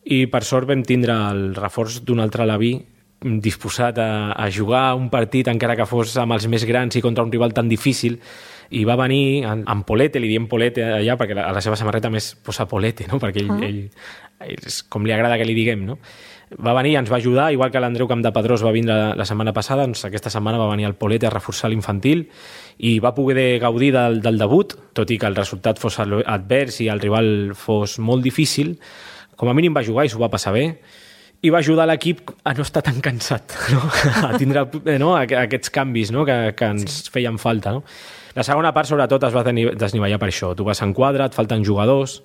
i per sort vam tindre el reforç d'un altre Laví disposat a, a jugar un partit encara que fos amb els més grans i contra un rival tan difícil, i va venir en, en Polete, li diem Polete allà perquè a la seva samarreta més posa Polete, no? Perquè ell, uh -huh. ell, ell, com li agrada que li diguem, no? Va venir i ens va ajudar, igual que l'Andreu Campdepedrós va vindre la, la setmana passada, doncs aquesta setmana va venir el Polete a reforçar l'infantil i va poder gaudir del, del debut, tot i que el resultat fos advers i el rival fos molt difícil. Com a mínim va jugar i s'ho va passar bé, i va ajudar l'equip a no estar tan cansat, no? A tindre, no? Aquests canvis, no? que, que ens sí. feien falta. No? La segona part, sobretot, es va desnivellar per això. Tu vas en quadre, et falten jugadors,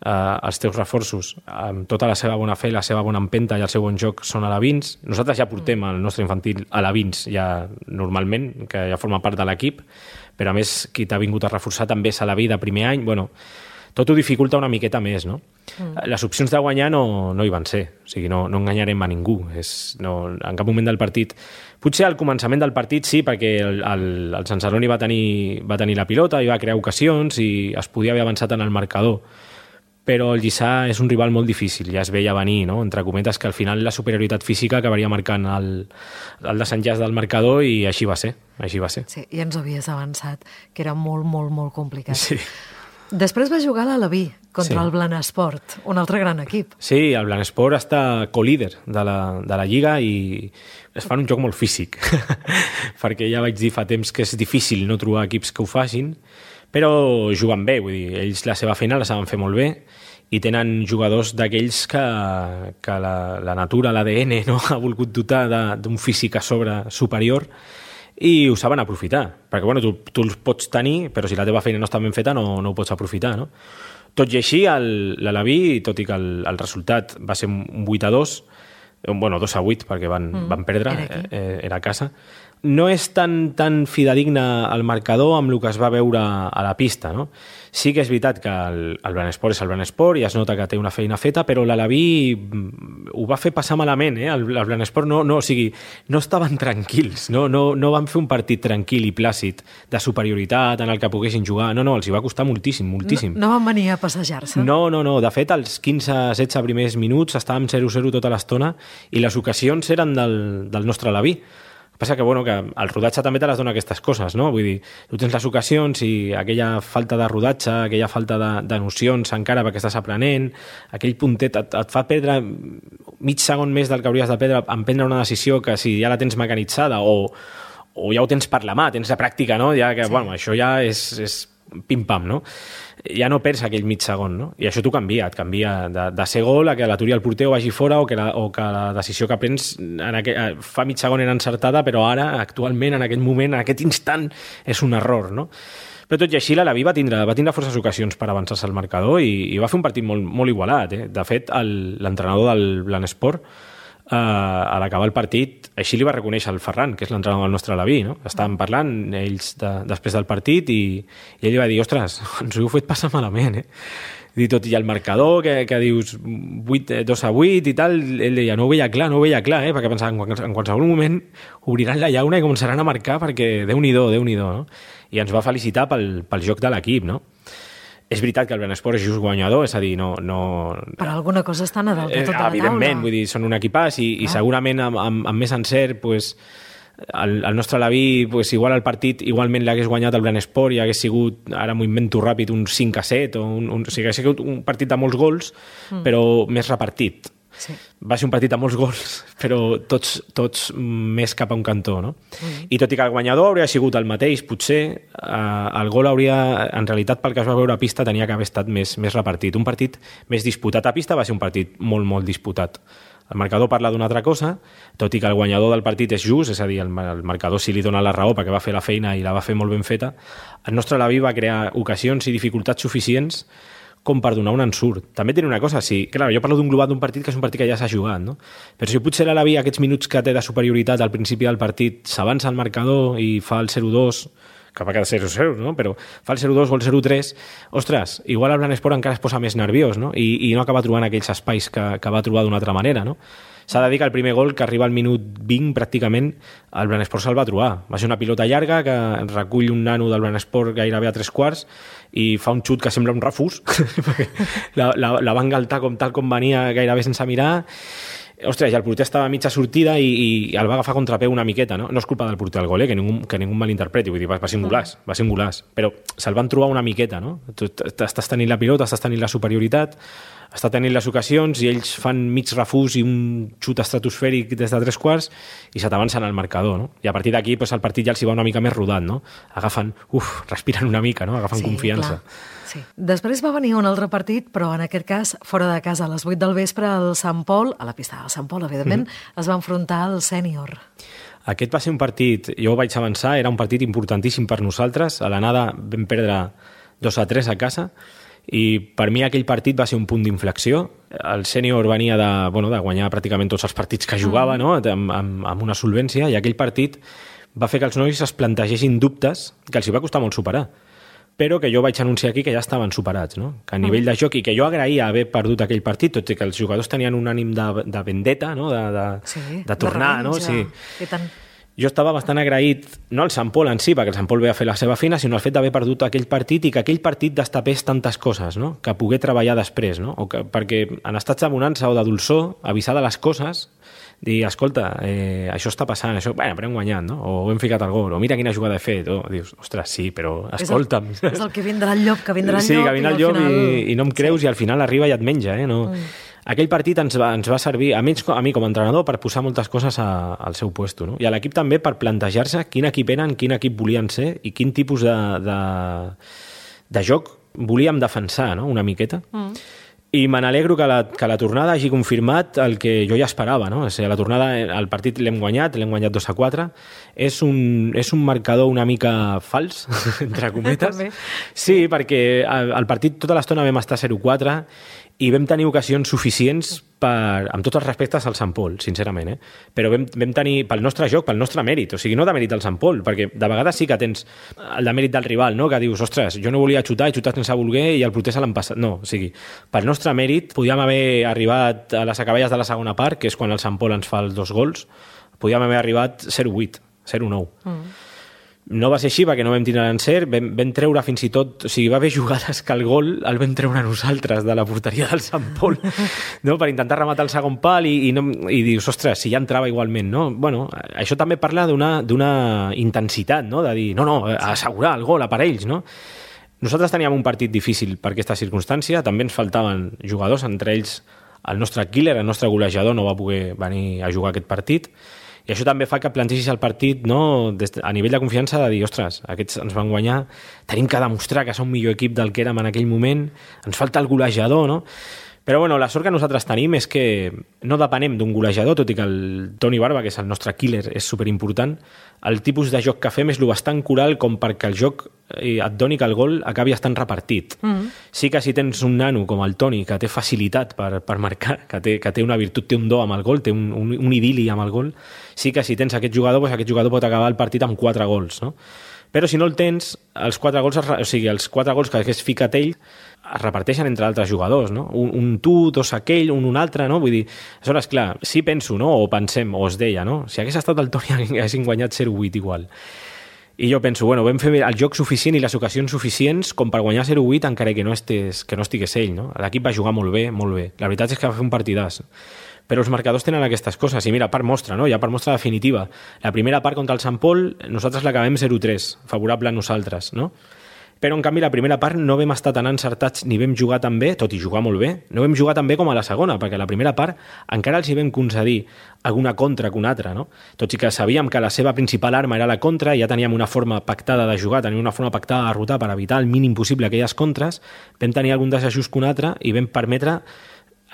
eh, els teus reforços, amb tota la seva bona fe, la seva bona empenta i el seu bon joc són alevins. Nosaltres ja portem el nostre infantil alevins, ja normalment, que ja forma part de l'equip, però a més, qui t'ha vingut a reforçar també és aleví de primer any. Bueno, tot ho dificulta una miqueta més, no? Mm. Les opcions de guanyar no, no hi van ser, o sigui, no, no enganyarem a ningú. És, no, en cap moment del partit... Potser al començament del partit sí, perquè el, el, el Sant Celoni va tenir, va tenir la pilota i va crear ocasions i es podia haver avançat en el marcador, però el Lliçà és un rival molt difícil, ja es veia venir, no? Entre cometes, que al final la superioritat física acabaria marcant el, el desenllaç del marcador i així va ser, així va ser. Sí, i ens havies avançat, que era molt, molt, molt complicat. Sí. Després va jugar a l'Alaví contra sí. el Blanesport, un altre gran equip. Sí, el Blanesport està co-líder de la, de la Lliga i es fan un joc molt físic, perquè ja vaig dir fa temps que és difícil no trobar equips que ho facin, però juguen bé, vull dir, ells la seva feina la saben fer molt bé i tenen jugadors d'aquells que, que la, la natura, l'A D N, no? ha volgut dotar d'un físic a sobre superior i ho saben aprofitar, perquè bueno, tu, tu els pots tenir, però si la teva feina no està ben feta no, no ho pots aprofitar, no? Tot i així, l'Alaví, tot i que el, el resultat va ser un vuit a dos, bueno, dos a vuit, perquè van, mm, van perdre, era, eh, era a casa, no és tan, tan fidedigne al marcador amb el que es va veure a la pista, no? Sí que és veritat que el, el Blanesport és el Blanesport i es nota que té una feina feta, però l'Alaví ho va fer passar malament, eh? El, el Blanesport no, no, o sigui, no estaven tranquils, no, no, no van fer un partit tranquil i plàcid de superioritat en el que poguessin jugar, no, no, els hi va costar moltíssim, moltíssim. No, no van venir a passejar-se? No, no, no, de fet, als quinze setze primers minuts estàvem zero zero tota l'estona i les ocasions eren del, del nostre Alaví. El que passa que, bueno, que el rodatge també te les dona aquestes coses, no? Vull dir, tu tens les ocasions i aquella falta de rodatge, aquella falta de, de nocions encara perquè estàs aprenent, aquell puntet et, et fa perdre mig segon més del que hauries de perdre en prendre una decisió que si ja la tens mecanitzada o, o ja ho tens per la mà, tens la pràctica, no? Ja que, sí. Bueno, això ja és, és pim-pam, no? Ja no perds aquell mig segon, no? I això t'ho canvia, et canvia de, de ser gol a que l'aturi el porter o vagi fora o que la, o que la decisió que prens en aquell, fa mig segon era encertada, però ara, actualment, en aquell moment, en aquest instant, és un error, no? Però tot i així, l'Alaví va tindre, va tindre forces ocasions per avançar-se al marcador i, i va fer un partit molt, molt igualat, eh? De fet, l'entrenador del Blanesport, Uh, a l'acabar el partit, així li va reconèixer el Ferran, que és l'entrenador del nostre Alaví, no? Estàvem parlant ells de, després del partit i, i ell li va dir, ostres, ens ho heu fet passar malament, eh? I tot i el marcador, que, que dius vuit, dos a vuit i tal, ell deia, no ho veia clar, no ho veia clar, eh? Perquè pensava, en qualsevol moment obriran la llauna i començaran a marcar perquè Déu-n'hi-do, Déu-n'hi-do, no? I ens va felicitar pel, pel joc de l'equip, no? És veritat que el Blanesport és just guanyador, és a dir, no... no... Per alguna cosa estan a dalt de tota la taula. Evidentment, vull dir, són un equipàs i, i segurament amb, amb, amb més encert, pues, el, el nostre Alaví, pues, igual el partit igualment l'hagués guanyat el Blanesport i hagués sigut, ara m'ho invento ràpid, un cinc a set, o, un, un, o sigui, hagués sigut un partit de molts gols, mm. però més repartit. Sí. Va ser un partit amb molts gols, però tots, tots més cap a un cantó, no? Mm. I tot i que el guanyador hauria sigut el mateix, potser eh, el gol hauria, en realitat, pel que es va veure a pista, tenia que haver estat més, més repartit. Un partit més disputat a pista va ser un partit molt, molt disputat. El marcador parla d'una altra cosa, tot i que el guanyador del partit és just, és a dir, el, el marcador sí li dona la raó perquè va fer la feina i la va fer molt ben feta, el nostre Alaví va crear ocasions i dificultats suficients com per donar un ensurt. També té una cosa, sí, clar, jo parlo d'un global d'un partit que és un partit que ja s'ha jugat, no? Però si potser l'Alaví aquests minuts que té de superioritat al principi del partit s'avança al marcador i fa el zero dos, que va quedar zero zero, no? Però fa el zero dos o el zero tres, ostres, igual el Blanesport encara es posa més nerviós, no? I, i no acaba trobant aquells espais que, que va trobar d'una altra manera, no? S'ha de dir que el primer gol, que arriba al minut vint, pràcticament, el Blanesport se'l va trobar. Va ser una pilota llarga que recull un nano del Blanesport gairebé a tres quarts i fa un xut que sembla un refús. la, la, la va engaltar com tal com venia gairebé sense mirar. Ostres, i el porter estava a mitja sortida i, i el va agafar a contrapeu una miqueta, no? No és culpa del porter del gol, eh? que, ningú, que ningú malinterpreti, vull dir, va, va ser un golaç, va ser un golaç, però se'l van trobar una miqueta, no? Tu estàs tenint la pilota, estàs tenint la superioritat, està tenint les ocasions i ells fan mig refús i un xut estratosfèric des de tres quarts i se t'avancen al marcador, no? I a partir d'aquí pues, el partit ja els hi va una mica més rodat, no? Agafen, uf, respiren una mica, no? Agafen sí, confiança. Clar. Sí. Després va venir un altre partit, però en aquest cas, fora de casa, a les vuit del vespre, el Sant Pol, a la pista del Sant Pol, evidentment, mm-hmm. es va enfrontar al sènior. Aquest va ser un partit, jo ho vaig avançar, era un partit importantíssim per nosaltres. A l'anada vam perdre dos a tres a casa, i per mi aquell partit va ser un punt d'inflexió. El sènior venia de, bueno, de guanyar pràcticament tots els partits que jugava, no? amb, amb, amb una solvència, i aquell partit va fer que els nois es plantegessin dubtes que els hi va costar molt superar, però que jo vaig anunciar aquí que ja estaven superats, no? Que a nivell de joc, i que jo agraïa haver perdut aquell partit, tot i que els jugadors tenien un ànim de, de vendetta, no? de, de, sí, de tornar, de no? Sí. I tant. Jo estava bastant agraït, no al Sant Pol en si, perquè el Sant Pol ve a fer la seva feina, sinó al fet d'haver perdut aquell partit i que aquell partit destapés tantes coses, no? Que pogué treballar després, no? O que, perquè en estats de bonança o de dolçor, avisar de les coses, dir, escolta, eh, això està passant, això, bueno, però hem guanyat, no? O hem ficat el gol, o mira quina jugada he fet, o dius, ostres, sí, però escolta'm. És el, és el que vindrà el llop, que vindrà el sí, llop, que vindrà el llop i, final... i, i no em creus, sí. I al final arriba i et menja, eh? No... Mm. Aquell partit ens va, ens va servir, a mi, a mi com a entrenador, per posar moltes coses a, al seu puesto, no? I a l'equip també per plantejar-se quin equip eren, quin equip volien ser i quin tipus de, de, de joc volíem defensar, no? Una miqueta. Mm. I me n'alegro que la, que la tornada hagi confirmat el que jo ja esperava, no? O sigui, la tornada, el partit l'hem guanyat, l'hem guanyat dos a quatre. És un, és un marcador una mica fals, entre cometes. Sí, perquè el partit tota l'estona vam estar zero quatre i vam tenir ocasions suficients per, amb tots els respectes al Sant Pol, sincerament, eh? Però vam, vam tenir, pel nostre joc, pel nostre mèrit, o sigui, no de mèrit al Sant Pol, perquè de vegades sí que tens el de mèrit del rival, no? Que dius, ostres, jo no volia xutar, he xutat sense voler i el porter se l'han passat. No, o sigui, pel nostre mèrit podíem haver arribat a les acaballes de la segona part, que és quan el Sant Pol ens fa els dos gols, podíem haver arribat zero vuit, zero nou. Mm. No va ser així perquè no vam tindre l'encert, vam, vam treure fins i tot, o sigui, va haver jugades que el gol el vam treure nosaltres de la porteria del Sant Pol, no? Per intentar rematar el segon pal i, i, no, i dius, ostres, si ja entrava igualment, no? Bueno, això també parla d'una d'una intensitat, no? De dir, no, no, assegurar el gol a per ells, no? Nosaltres teníem un partit difícil per aquesta circumstància, també ens faltaven jugadors, entre ells el nostre killer, el nostre golejador no va poder venir a jugar aquest partit, i això també fa que plantegis el partit, no, des, a nivell de confiança, de dir, ostres, aquests ens van guanyar, tenim que demostrar que som millor equip del que érem en aquell moment, ens falta el golejador, no? Però bueno, la sort que nosaltres tenim és que no depenem d'un golejador, tot i que el Toni Barba, que és el nostre killer, és superimportant. El tipus de joc que fem és lo bastant coral com perquè el joc et doni que el gol acabi estant repartit. Mm-hmm. Sí que si tens un nano com el Toni, que té facilitat per, per marcar, que té, que té una virtut, té un do amb el gol, té un, un, un idili amb el gol, sí que si tens aquest jugador, doncs aquest jugador pot acabar el partit amb quatre gols, no? Però si no el tens, els quatre gols, es, o sigui, els quatre gols que hagués ficat ell es reparteixen entre altres jugadors, no? Un, un tu, dos aquell, un un altre, no? Vull dir, aleshores, clar, sí penso, no? O pensem, o es deia, no? Si hagués estat el Toni haguessin guanyat zero vuit igual. I jo penso, bueno, vam fer el joc suficient i les ocasions suficients com per guanyar zero vuit encara que no, estés, que no estigués ell, no? L'equip va jugar molt bé, molt bé. La veritat és que va fer un partidàs. Però els marcadors tenen aquestes coses, i mira, per mostra, no? Ja per mostra definitiva. La primera part contra el Sant Pol, nosaltres l'acabem zero tres, favorable a nosaltres, no? Però, en canvi, la primera part no vam estar tan encertats ni vam jugar tan bé, tot i jugar molt bé, no vam jugar tan bé com a la segona, perquè la primera part encara els hi vam concedir alguna contra que una altra, no? Tot i que sabíem que la seva principal arma era la contra, i ja teníem una forma pactada de jugar, teníem una forma pactada de derrotar per evitar el mínim possible aquelles contres, vam tenir algun desajust que un altre i vam permetre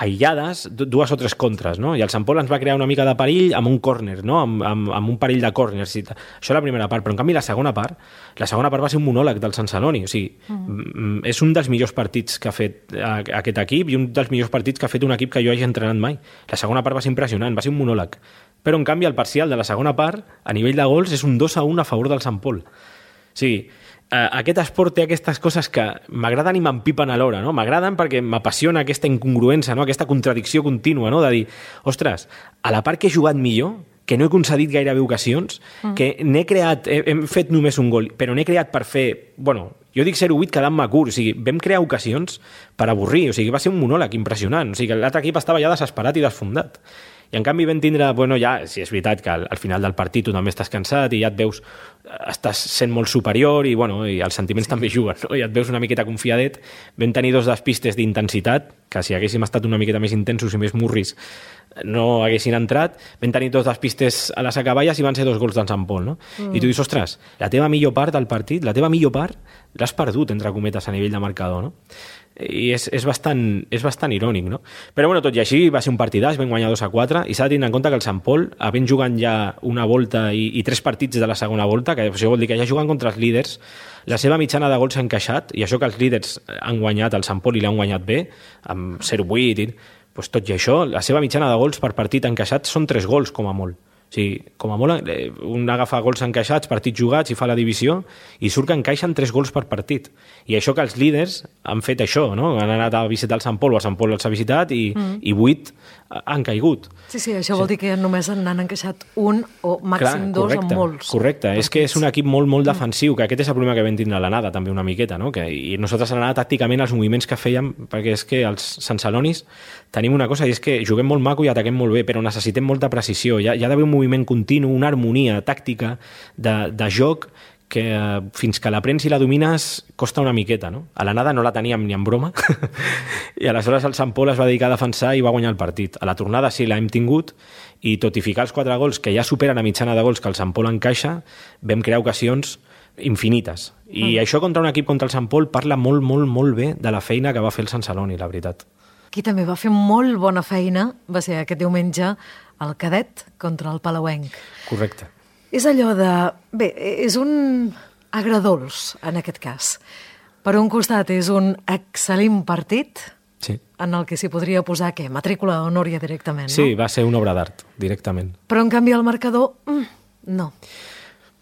aïllades, dues o tres contres, no? I el Sant Pol ens va crear una mica de perill amb un córner, no? Amb, amb, amb un perill de córners. Això la primera part, però en canvi la segona part, la segona part va ser un monòleg del Sant Celoni, o sigui, mm. és un dels millors partits que ha fet aquest equip i un dels millors partits que ha fet un equip que jo hagi entrenat mai. La segona part va ser impressionant, va ser un monòleg. Però en canvi el parcial de la segona part, a nivell de gols, és un dos a un a favor del Sant Pol. O sigui, aquest esport té aquestes coses que m'agraden i m'empipen alhora, no? M'agraden perquè m'apassiona aquesta incongruència, no? Aquesta contradicció contínua, no? De dir, ostres, a la part que he jugat millor, que no he concedit gairebé ocasions, mm. que n'he creat, he, hem fet només un gol, però n'he creat per fer, bueno, jo dic zero vuit quedant-me curt, o sigui, vam crear ocasions per avorrir, o sigui, va ser un monòleg impressionant, o sigui, l'altre equip estava ja desesperat i desfondat. I en canvi vam tindre, bueno, ja, si és veritat que al, al final del partit tu també estàs cansat i ja et veus, estàs sent molt superior i, bueno, i els sentiments sí. també juguen, no? I et veus una miqueta confiadet. Vam tenir dos despistes d'intensitat, que si haguéssim estat una miqueta més intensos i més murris no haguessin entrat. Vam tenir dos despistes a les acaballes i van ser dos gols d'en Sant Pol, no? Mm. I tu dius, ostres, la teva millor part del partit, la teva millor part, l'has perdut, entre cometes, a nivell de marcador, no? I és, és, bastant, és bastant irònic, no? Però bueno, tot i així va ser un partidàs, vam guanyar dos a quatre i s'ha de tenir en compte que el Sant Pol, havent jugant ja una volta i, i tres partits de la segona volta, que això vol dir que ja jugant contra els líders, la seva mitjana de gols s'ha encaixat, i això que els líders han guanyat el Sant Pol i l'han guanyat bé, amb zero vuit, i, doncs tot i això, la seva mitjana de gols per partit encaixat són tres gols, com a molt. O sigui, com a molt, un agafa gols encaixats, partits jugats i fa la divisió i surt que encaixen tres gols per partit. I això que els líders han fet això, no? Han anat a visitar el Sant Pol o el Sant Pol els ha visitat i, mm. i vuit han caigut. Sí, sí, això sí. Vol dir que només n'han encaixat un o màxim Clar, dos en molts. Correcte, partits. És que és un equip molt, molt defensiu, que aquest és el problema que vam tindre a l'anada també una miqueta, no? Que, i nosaltres a l'anada tàcticament els moviments que fèiem, perquè és que els Sant Celonis tenim una cosa i és que juguem molt maco i ataquem molt bé, però necessitem molta precisió. Hi ha, hi ha d'haver un moviment continu, una harmonia tàctica de, de joc que eh, fins que l'aprens i la domines costa una miqueta, no? A l'anada no la teníem ni en broma i aleshores el Sant Pol es va dedicar a defensar i va guanyar el partit. A la tornada sí l'hem tingut i tot i ficar els quatre gols que ja superen la mitjana de gols que el Sant Pol encaixa, vam crear ocasions infinites. I mm. això contra un equip contra el Sant Pol parla molt, molt, molt bé de la feina que va fer el Sant Celoni, la veritat. Qui també va fer molt bona feina va ser aquest diumenge el cadet contra el Palauenc. Correcte. És allò de... Bé, és un agradols, en aquest cas. Per un costat és un excel·lent partit, Sí. En el que s'hi podria posar, què? Matrícula honoria directament, no? Sí, va ser una obra d'art, directament. Però, en canvi, el marcador, mm, no.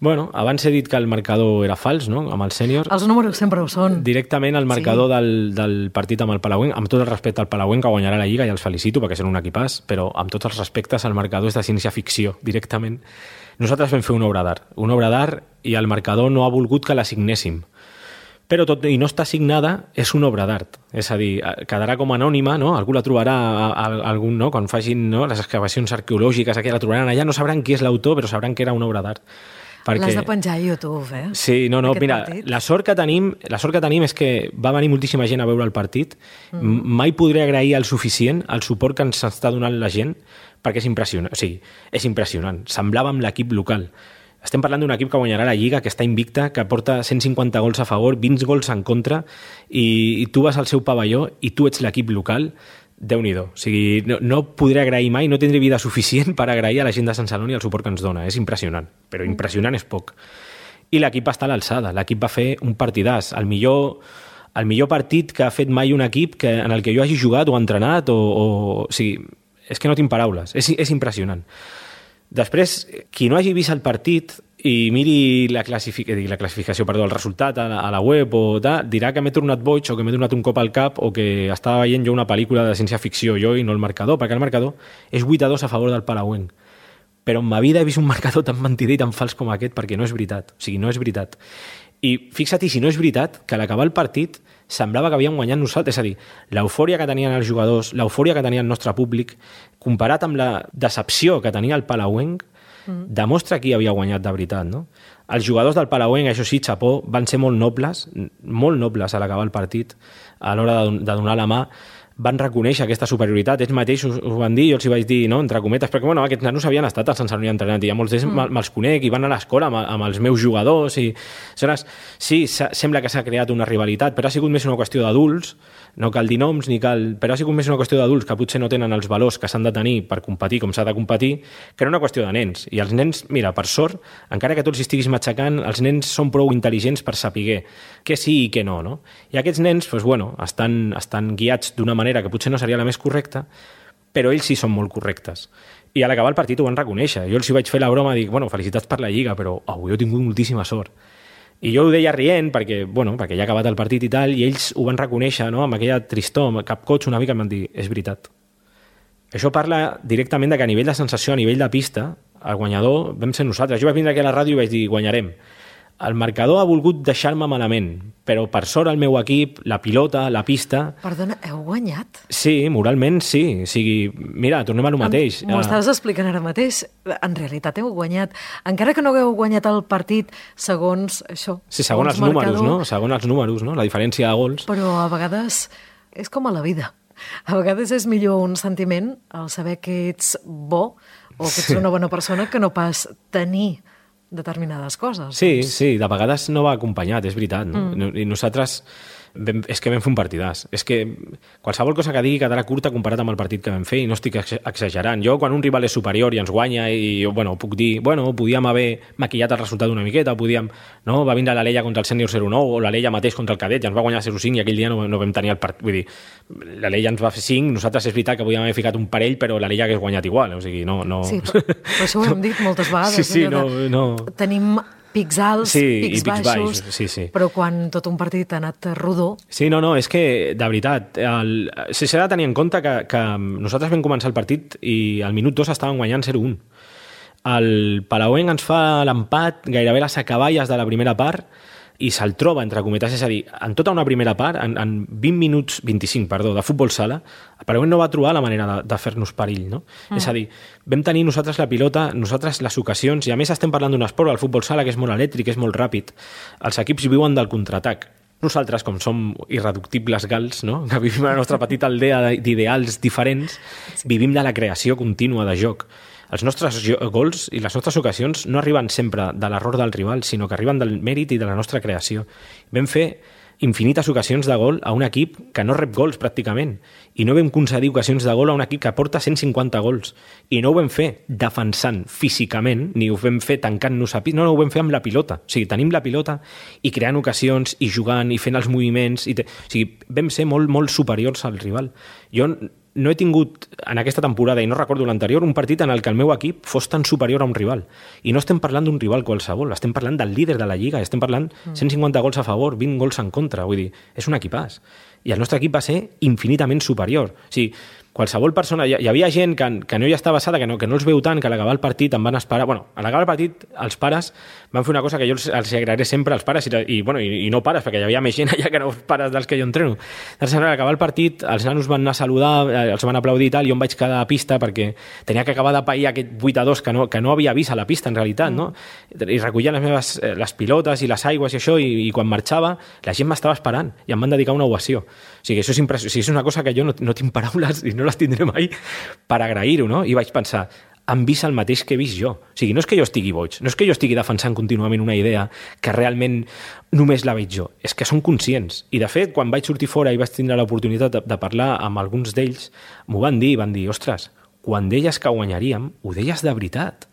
Bueno, abans he dit que el marcador era fals, no?, amb el sènior. Els números sempre ho són. Directament el marcador sí. del, del partit amb el Palauenc, amb tot el respecte al Palauenc, que guanyarà la Lliga, i els felicito perquè són un equipàs, però amb tots els respectes el marcador és de ciència-ficció, directament. Nosaltres vam fer una obra d'art, una obra d'art, i el marcador no ha volgut que la signéssim. Però tot i no està signada, és una obra d'art. És a dir, quedarà com anònima, no? Algú la trobarà, a, a, algun, no? Quan facin, no? les excavacions arqueològiques, aquí la trobaran allà, no sabran qui és l'autor, però sabran que era una obra d'art. Perquè... L'has de penjar a YouTube, eh? Sí, no, no, Aquest mira, partit. la sort que tenim, la sort que tenim és que va venir moltíssima gent a veure el partit. Mm. Mai podré agrair el suficient el suport que ens està donant la gent, perquè és impressionant. O sigui, és impressionant. Semblava amb l'equip local. Estem parlant d'un equip que guanyarà la Lliga, que està invicta, que porta cent cinquanta gols a favor, vint gols en contra, i, i tu vas al seu pavelló i tu ets l'equip local. Déu-n'hi-do. O sigui, no, no podré agrair mai, no tindré vida suficient per agrair a la gent de Sant Celoni el suport que ens dona. És impressionant, però impressionant és poc. I l'equip està a l'alçada. L'equip va fer un partidàs. El millor, el millor partit que ha fet mai un equip que, en el que jo hagi jugat o entrenat, o, o, o sigui, és que no tinc paraules. És, és impressionant. Després, qui no hagi vist el partit i miri la, classific... la classificació, perdó, el resultat a la, a la web o tal, dirà que m'he tornat boig o que m'he donat un cop al cap o que estava veient jo una pel·lícula de ciència-ficció jo i no el marcador, perquè el marcador és vuit a dos a favor del Palauenc. Però en ma vida he vist un marcador tan mentider i tan fals com aquest, perquè no és veritat. O sigui, no és veritat. I fixa't, si no és veritat, que a l'acabar el partit semblava que havíem guanyat nosaltres. És a dir, l'eufòria que tenien els jugadors, l'eufòria que tenia el nostre públic, comparat amb la decepció que tenia el Palauenc, mm. demostra qui havia guanyat de veritat, no? Els jugadors del Palauenc, això sí, xapó, van ser molt nobles, molt nobles a l'acabar el partit, a l'hora de, de donar la mà, van reconèixer aquesta superioritat. Ells mateixos ho van dir, jo els hi vaig dir, no?, entre cometes, perquè bueno, aquests nanos havien estat al Sant Celoni entrenant i ja molts d'ells mm. me'ls conec i van a l'escola amb, amb els meus jugadors i aleshores, sí, sembla que s'ha creat una rivalitat, però ha sigut més una qüestió d'adults, no cal dir noms ni cal... però ha sigut més una qüestió d'adults que potser no tenen els valors que s'han de tenir per competir com s'ha de competir, que era una qüestió de nens. I els nens, mira, per sort, encara que tu els estiguis matxacant, els nens són prou intel·ligents per saber què sí i què no, no? I aquests nens, doncs, bueno, estan, estan guiats d'una manera que potser no seria la més correcta, però ells sí són molt correctes. I a l'acabar el partit ho van reconèixer. Jo els hi vaig fer la broma, dic, bueno, felicitats per la Lliga, però avui he tingut moltíssima sort. I jo ho deia rient, perquè, bueno, perquè ja ha acabat el partit i tal, i ells ho van reconèixer, no?, amb aquella tristor, amb cap coig una mica, em van dir, és veritat. Això parla directament de que a nivell de sensació, a nivell de pista, el guanyador vam ser nosaltres. Jo vaig vindre aquí a la ràdio i vaig dir, guanyarem. El marcador ha volgut deixar-me malament, però per sort el meu equip, la pilota, la pista... Perdona, heu guanyat? Sí, moralment sí. O sigui, mira, tornem a lo mateix. M'ho estaves explicant ara mateix. En realitat heu guanyat. Encara que no hagueu guanyat el partit segons això. Sí, segons els números, no? Segons els números, no? La diferència de gols. Però a vegades és com a la vida. A vegades és millor un sentiment el saber que ets bo o que ets una bona persona que no pas tenir determinades coses. Sí, doncs. sí, de vegades no va acompanyat, és veritat, no? Mm. I nosaltres vam, és que vam fer un partidàs. És que qualsevol cosa que digui quedarà curta comparat amb el partit que vam fer i no estic exagerant. Jo, quan un rival és superior i ens guanya i jo, bueno, puc dir, bueno, podíem haver maquillat el resultat una miqueta, podíem, no? Va vindre l'Alella contra el sènior zero nou o l'Alella mateix contra el cadet i ens va guanyar zero cinc i aquell dia no, no vam tenir el partit. Vull dir, l'Alella ens va fer cinc, nosaltres és veritat que podíem haver ficat un parell, però l'Alella hagués guanyat igual. O sigui, no... no... Sí, però, però això ho hem dit moltes vegades. Sí, sí, no, no... Tenim pics alts, sí, pics, pics baixos, baixos sí, sí. Però quan tot un partit ha anat rodó... Sí, no, no, és que, de veritat, el... s'ha de tenir en compte que, que nosaltres vam començar el partit i al minut dos estàvem guanyant zero un. El Palauenc ens fa l'empat gairebé les acaballes de la primera part i se'l troba, entre cometes, és a dir, en tota una primera part, en, en vint minuts, vint-i-cinc, perdó, de futbol sala, el Palauenc no va trobar la manera de, de fer-nos perill, no? Mm. És a dir, vam tenir nosaltres la pilota, nosaltres les ocasions, i a més estem parlant d'un esport, el futbol sala, que és molt elèctric, és molt ràpid. Els equips viuen del contraatac. Nosaltres, com som irreductibles gals, no?, que vivim a la nostra petita aldea d'ideals diferents, vivim de la creació contínua de joc. Els nostres gols i les nostres ocasions no arriben sempre de l'error del rival, sinó que arriben del mèrit i de la nostra creació. Vam fer infinites ocasions de gol a un equip que no rep gols pràcticament, i no vam concedir ocasions de gol a un equip que porta cent cinquanta gols, i no ho vam fer defensant físicament, ni ho vam fer tancant-nos a pit, no, no, ho vam fer amb la pilota, o sigui, tenim la pilota i creant ocasions i jugant i fent els moviments, i te... o sigui, vam ser molt, molt superiors al rival. Jo no he tingut en aquesta temporada, i no recordo l'anterior, un partit en el que el meu equip fos tan superior a un rival. I no estem parlant d'un rival qualsevol, estem parlant del líder de la Lliga, estem parlant cent cinquanta gols a favor, vint gols en contra, vull dir, és un equipàs. I el nostre equip va ser infinitament superior. O sigui, qualsevol persona... Hi, hi havia gent que, que no hi estava basada, que no, que no els veu tant, que a l'acabar el partit em van esperar... Bueno, a l'acabar el partit, els pares van fer una cosa que jo els, els agrairé sempre als pares, i, i, bueno, i, i no pares, perquè hi havia més gent allà que no pares dels que jo entreno. Doncs, a l'acabar el partit, els nanos van anar a saludar, els van aplaudir i tal, i jo em vaig quedar a pista perquè tenia que acabar de pair aquest vuit a dos que no, que no havia vist a la pista, en realitat, no? I recollia les meves les pilotes i les aigües i això, i, i quan marxava, la gent m'estava esperant i em van dedicar una ovació. O sigui, això és impressionant. O sigui, és una cosa que jo no, no tinc paraules i no les tindré mai per agrair-ho, no? I vaig pensar, han vist el mateix que he vist jo. O sigui, no és que jo estigui boig, no és que jo estigui defensant contínuament una idea que realment només la veig jo, és que són conscients. I, de fet, quan vaig sortir fora i vaig tindre l'oportunitat de, de parlar amb alguns d'ells, m'ho van dir, van dir, ostres, quan deies que guanyaríem, ho deies de veritat.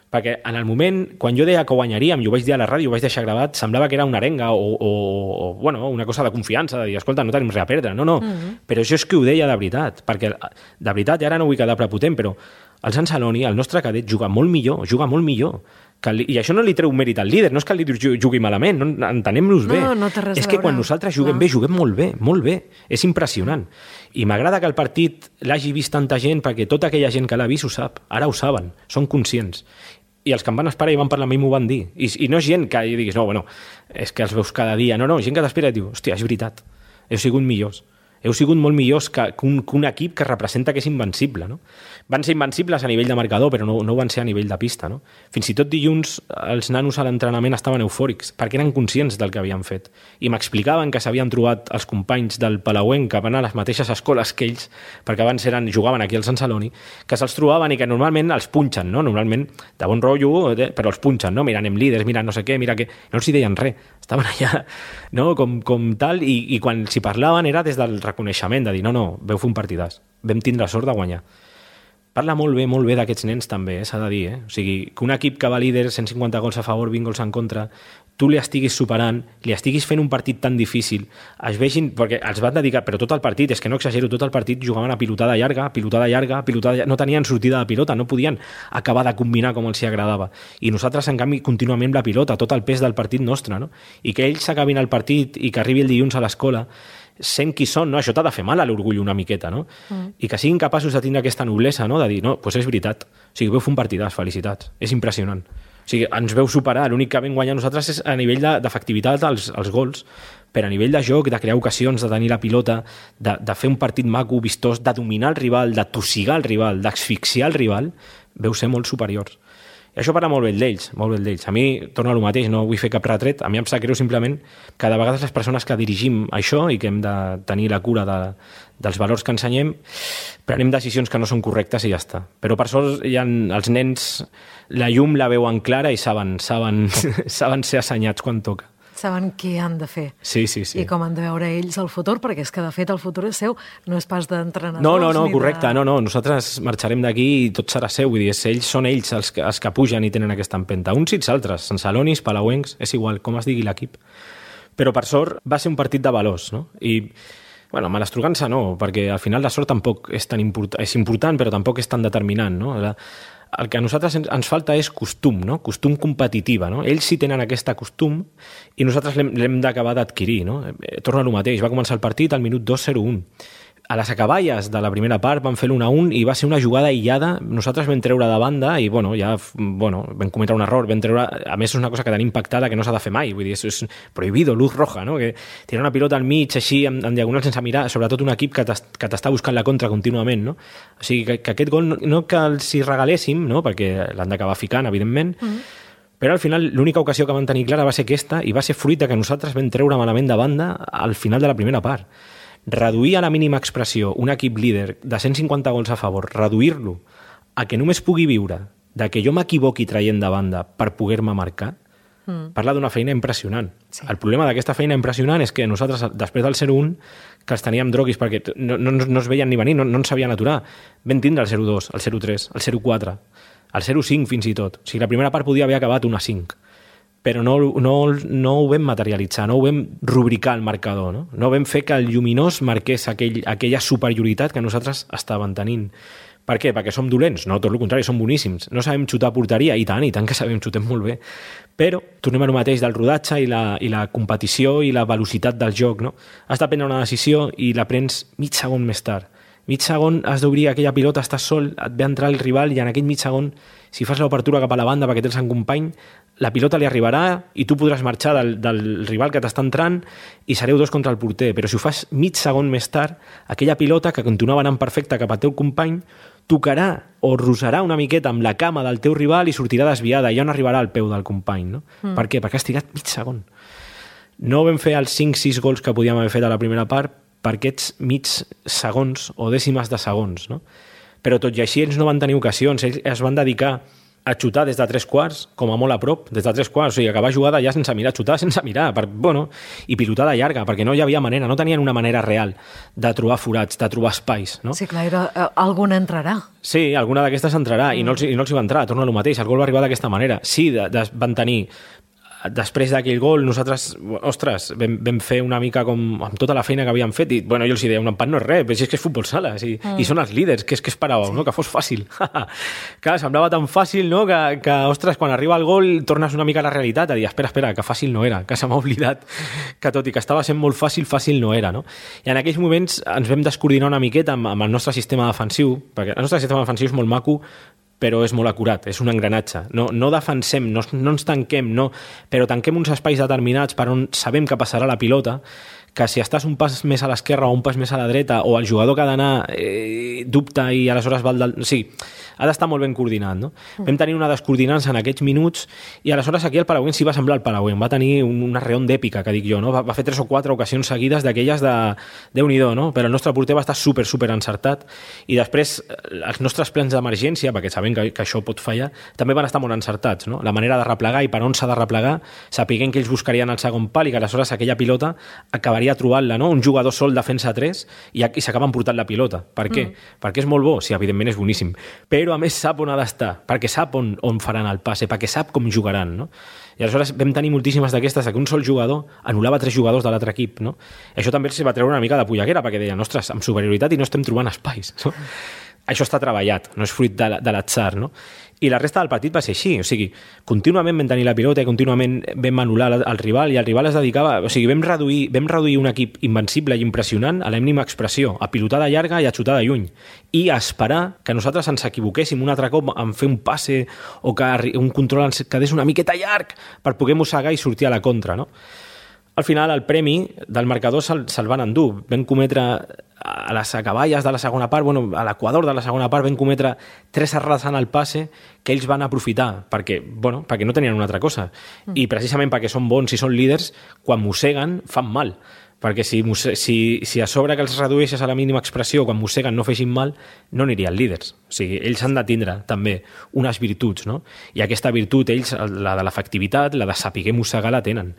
Perquè en el moment, quan jo deia que guanyaríem, i ho vaig dir a la ràdio, ho vaig deixar gravat, semblava que era una arenga o, o, o bueno, una cosa de confiança, de dir, escolta, no tenim res a perdre. No, no, mm-hmm. Però jo és que ho deia de veritat, perquè de veritat, i ara no vull quedar prepotent, però el Sant Celoni, el nostre cadet, juga molt millor, juga molt millor. Que el, I això no li treu mèrit al líder, no és que el líder jugui malament, no, entenem-nos bé. No, no té res a veure. És que quan nosaltres juguem no. bé, juguem molt bé, molt bé. És impressionant. I m'agrada que el partit l'hagi vist tanta gent, perquè tota aquella gent que l'ha vist ho sap, ara ho saben, són conscients. I els que em van esperar i van parlar amb mi m'ho van dir. I, I no és gent que diguis, no, bueno, és que els veus cada dia. No, no, gent que t'espera i diu, hòstia, és veritat, heu sigut millors. Heu sigut molt millors que, que, un, que un equip que representa que és invencible, no? Van ser invencibles a nivell de marcador, però no, no van ser a nivell de pista, no? Fins i tot dilluns els nanos a l'entrenament estaven eufòrics, perquè eren conscients del que havien fet. I m'explicaven que s'havien trobat els companys del Palauenc, que van a les mateixes escoles que ells, perquè abans eren, jugaven aquí al Sant Celoni, que se'ls trobaven i que normalment els punxen, no? Normalment de bon rotllo, però els punxen, no? Mira, anem líders, mira no sé què, mira què... No els hi deien res, estaven allà, no? Com, com tal, i, i quan s'hi parlaven era des del reconeixement, de dir, no, no, veu fer un partidàs, vam tindre sort de guanyar. Parla molt bé, molt bé d'aquests nens també, eh, s'ha de dir, eh? O sigui, que un equip que va líder, cent cinquanta gols a favor, vint gols en contra, tu li estiguis superant, li estiguis fent un partit tan difícil, es vegin, perquè els van dedicar, però tot el partit, és que no exagero, tot el partit jugaven a pilotada llarga, pilotada llarga, pilotada llarga, no tenien sortida de pilota, no podien acabar de combinar com els hi agradava. I nosaltres, en canvi, contínuament la pilota, tot el pes del partit nostre, no? I que ells s'acabin el partit i que arribi el dilluns a l'escola, sent qui són, no? Això t'ha de fer mal a l'orgull una miqueta, no? Mm. I que siguin capaços de tindre aquesta noblesa, no? De dir, no, doncs és veritat. O sigui, veu fer un partidàs, felicitats. És impressionant. O sigui, ens veu superar. L'únic que vam guanyar nosaltres és a nivell d'efectivitat als, als gols, però a nivell de joc, de crear ocasions, de tenir la pilota, de, de fer un partit maco, vistós, de dominar el rival, de tossigar el rival, d'asfixiar el rival, veu ser molt superiors. I això parla molt bé d'ells, molt bé d'ells. A mi, torno a lo mateix, no vull fer cap retret, a mi em sap greu simplement que de vegades les persones que dirigim això i que hem de tenir la cura de, dels valors que ensenyem, prenem decisions que no són correctes i ja està. Però per sort hi ha, els nens la llum la veuen clara i saben, saben, saben ser assenyats quan toca. Saben què han de fer. Sí, sí, sí. I com han de veure ells el futur, perquè és que, de fet, el futur és seu, no és pas d'entrenadors. No, no, no, ni correcte, de... no, no, nosaltres marxarem d'aquí i tot serà seu, vull dir, ells són ells els que, els que pugen i tenen aquesta empenta, uns i els altres, Sant Celonis, Palauencs, és igual, com es digui l'equip. Però, per sort, va ser un partit de valors, no? I, bueno, malastrugança no, perquè al final la sort tampoc és tan important, és important, però tampoc és tan determinant, no? La, el que a nosaltres ens, ens falta és costum, no? Costum competitiva, no? Ells sí tenen aquesta costum i nosaltres l'hem d'acabar d'adquirir, no? Torna a lo mateix, va començar el partit al minut dos zero un. A les acaballes de la primera part van fer l'un a un i va ser una jugada aïllada, nosaltres vam treure de banda i bueno, ja bueno, vam cometre un error, vam treure, a més és una cosa que tenim pactada que no s'ha de fer mai, vull dir, és, és prohibido, luz roja, no? Que tirar una pilota al mig així en, en diagonal sense mirar, sobretot un equip que t'està buscant la contra contínuament, no? O sigui, que, que aquest gol no, no que els hi regaléssim, no? Perquè l'han d'acabar ficant, evidentment, mm-hmm. Però al final l'única ocasió que van tenir clara va ser aquesta i va ser fruit de que nosaltres vam treure malament de banda al final de la primera part. Reduir a la mínima expressió un equip líder de cent cinquanta gols a favor, reduir-lo a que només pugui viure de que jo m'equivoqui traient de banda per poder-me marcar, Mm. Parla d'una feina impressionant. Sí. El problema d'aquesta feina impressionant és que nosaltres, després del zero un, que els teníem droguis perquè no, no, no es veien ni venir, no, no ens sabien aturar, vam tindre el zero dos, el zero tres, el zero quatre, el zero cinc fins i tot. O sigui, la primera part podia haver acabat una cinc, però no, no, no ho vam materialitzar, no ho vam rubricar al marcador, no? No vam fer que el lluminós marqués aquell, aquella superioritat que nosaltres estàvem tenint. Per què? Perquè som dolents? No, tot el contrari, som boníssims. No sabem xutar a porteria? I tant, i tant que sabem, xutem molt bé. Però tornem a lo mateix del rodatge i la, i la competició i la velocitat del joc, no? Has de prendre una decisió i la prens mig segon més tard. Mig segon has d'obrir aquella pilota, estàs sol, et ve a entrar el rival i en aquell mig segon, si fas l'obertura cap a la banda perquè tens un company, la pilota li arribarà i tu podràs marxar del, del rival que t'està entrant i sereu dos contra el porter. Però si ho fas mig segon més tard, aquella pilota que continuava anant perfecta cap al teu company tocarà o rosarà una miqueta amb la cama del teu rival i sortirà desviada i ja no arribarà al peu del company, no? Mm. Per què? Perquè has tirat mig segon. No vam fer els cinc sis gols que podíem haver fet a la primera part per aquests mig segons o dècimes de segons, no? Però tot i així ells no van tenir ocasions, ells es van dedicar a xutar des de tres quarts, com a molt a prop, des de tres quarts, o sigui, acabar jugada ja sense mirar, xutar sense mirar, per, bueno, i pilotada llarga, perquè no hi havia manera, no tenien una manera real de trobar forats, de trobar espais, no? Sí, clar, era, eh, alguna entrarà. Sí, alguna d'aquestes entrarà, mm. i, no els, i no els hi va entrar, torna a lo mateix, el gol va arribar d'aquesta manera. Sí, de, de, van tenir després d'aquell gol, nosaltres, ostres, vam, vam fer una mica com amb tota la feina que havíem fet i, bueno, jo els deia, un empat no és res, però si és que és futbol sala, si, mm. i són els líders, que és que esperàveu, sí. no? Que fos fàcil. Clar, semblava tan fàcil, no?, que, que, ostres, quan arriba el gol tornes una mica a la realitat, a dir, espera, espera, que fàcil no era, que se m'ha oblidat que tot i que estava sent molt fàcil, fàcil no era, no? I en aquells moments ens vam descoordinar una miqueta amb, amb el nostre sistema defensiu, perquè el nostre sistema defensiu és molt maco, però és molt acurat, és un engranatge. No, no defensem, no, no ens tanquem, no, però tanquem uns espais determinats per on sabem que passarà la pilota, que si estàs un pas més a l'esquerra o un pas més a la dreta, o el jugador que ha d'anar eh, dubta i aleshores va al... Del... Sí, ha d'estar molt ben coordinat, no? Mm. Vam tenir una descoordinança en aquests minuts i aleshores aquí el Palauenc sí va semblar el Palauenc, va tenir una reon d'èpica, que dic jo, no? Va, va fer tres o quatre ocasions seguides d'aquelles de Déu-n'hi-do, no? Però el nostre porter va estar super, super encertat i després els nostres plans d'emergència, perquè sabem que, que això pot fallar, també van estar molt encertats, no? La manera de replegar i per on s'ha de replegar, sapiguem que ells buscarien el segon pal i que aleshores aquella pilota acabaria trobant-la, no? Un jugador sol defensa tres i, i s'acaben portant la pilota. Per què? Mm. Perquè és molt bo? Sí, evidentment és boníssim. Però a més sap on ha d'estar, perquè sap on, on faran el passe, perquè sap com jugaran, no? I aleshores vam tenir moltíssimes d'aquestes que un sol jugador anul·lava tres jugadors de l'altre equip, no? Això també els va treure una mica de polleguera, perquè deien, ostres, amb superioritat i no estem trobant espais, no? Això està treballat, no és fruit de, de l'atzar, no? I la resta del partit va ser així, o sigui, contínuament vam tenir la pilota i contínuament vam anul·lar el rival i el rival es dedicava, o sigui, vam reduir, vam reduir un equip invencible i impressionant a la mínima expressió, a pilotada llarga i a xutada lluny, i a esperar que nosaltres ens equivoquéssim un altre cop en fer un passe o que un control ens quedés una miqueta llarg per poder mossegar i sortir a la contra, no? Al final, el premi del marcador se'l, se'l van endur. Vam cometre a les acaballes de la segona part, bueno, a l'equador de la segona part, vam cometre tres errades en el passe que ells van aprofitar perquè, bueno, perquè no tenien una altra cosa. Mm. I precisament perquè són bons i són líders, quan mosseguen fan mal. Perquè si, si, si a sobre que els redueixes a la mínima expressió, quan mosseguen no fessin mal, no anirien líders. O sigui, ells han de tindre també unes virtuts, no? I aquesta virtut, ells, la de l'efectivitat, la de saber mossegar, la tenen.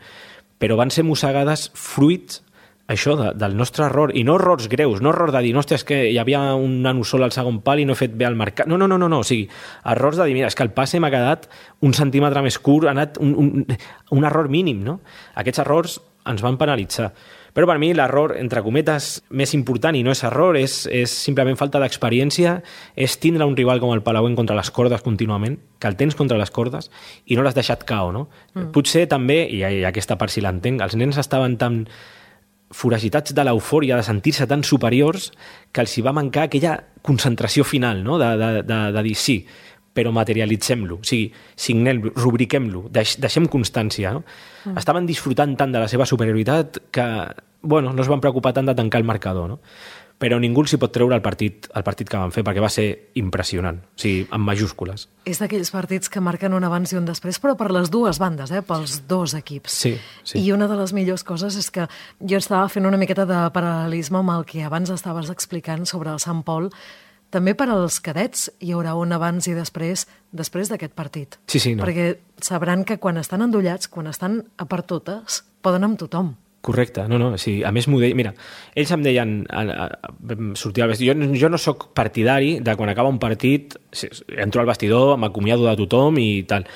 Però van ser mossegades fruits això de, del nostre error, i no errors greus, no error de dir, no, hòstia, és que hi havia un nano sol al segon pal i no he fet bé al marcat. No, no, no, no, no. O sigui, errors de dir, mira, és que el passe m'ha quedat un centímetre més curt, ha anat un, un, un error mínim, no? Aquests errors ens van penalitzar. Però per mi l'error, entre cometes, més important, i no és error, és, és simplement falta d'experiència, és tindre un rival com el Palauenc contra les cordes contínuament, que el tens contra les cordes i no l'has deixat cao, no? Mm. Potser també, i aquesta part si l'entenc, els nens estaven tan foragitats de l'eufòria, de sentir-se tan superiors, que els hi va mancar aquella concentració final, no? de, de, de, de dir sí, però materialitzem-lo, o sigui, signem-lo, rubriquem-lo, deix, deixem constància, no? Mm. Estaven disfrutant tant de la seva superioritat que, bueno, no es van preocupar tant de tancar el marcador, no? Però ningú s'hi pot treure el partit, el partit que van fer, perquè va ser impressionant, o sigui, amb majúscules. És d'aquells partits que marquen un abans i un després, però per les dues bandes, eh? Pels dos equips. Sí, sí. I una de les millors coses és que jo estava fent una miqueta de paral·lelisme amb el que abans estaves explicant sobre el Sant Pol, també per als cadets hi haurà un abans i després després d'aquest partit. Sí, sí, no. Perquè sabran que quan estan endollats, quan estan a per totes, poden amb tothom. Correcte, no, no, sí, a més m'ho deien, mira, ells em deien, a, a, a, sortir al vestidor, jo, jo no sóc partidari de quan acaba un partit, entro al vestidor, m'acomiado de tothom i tal,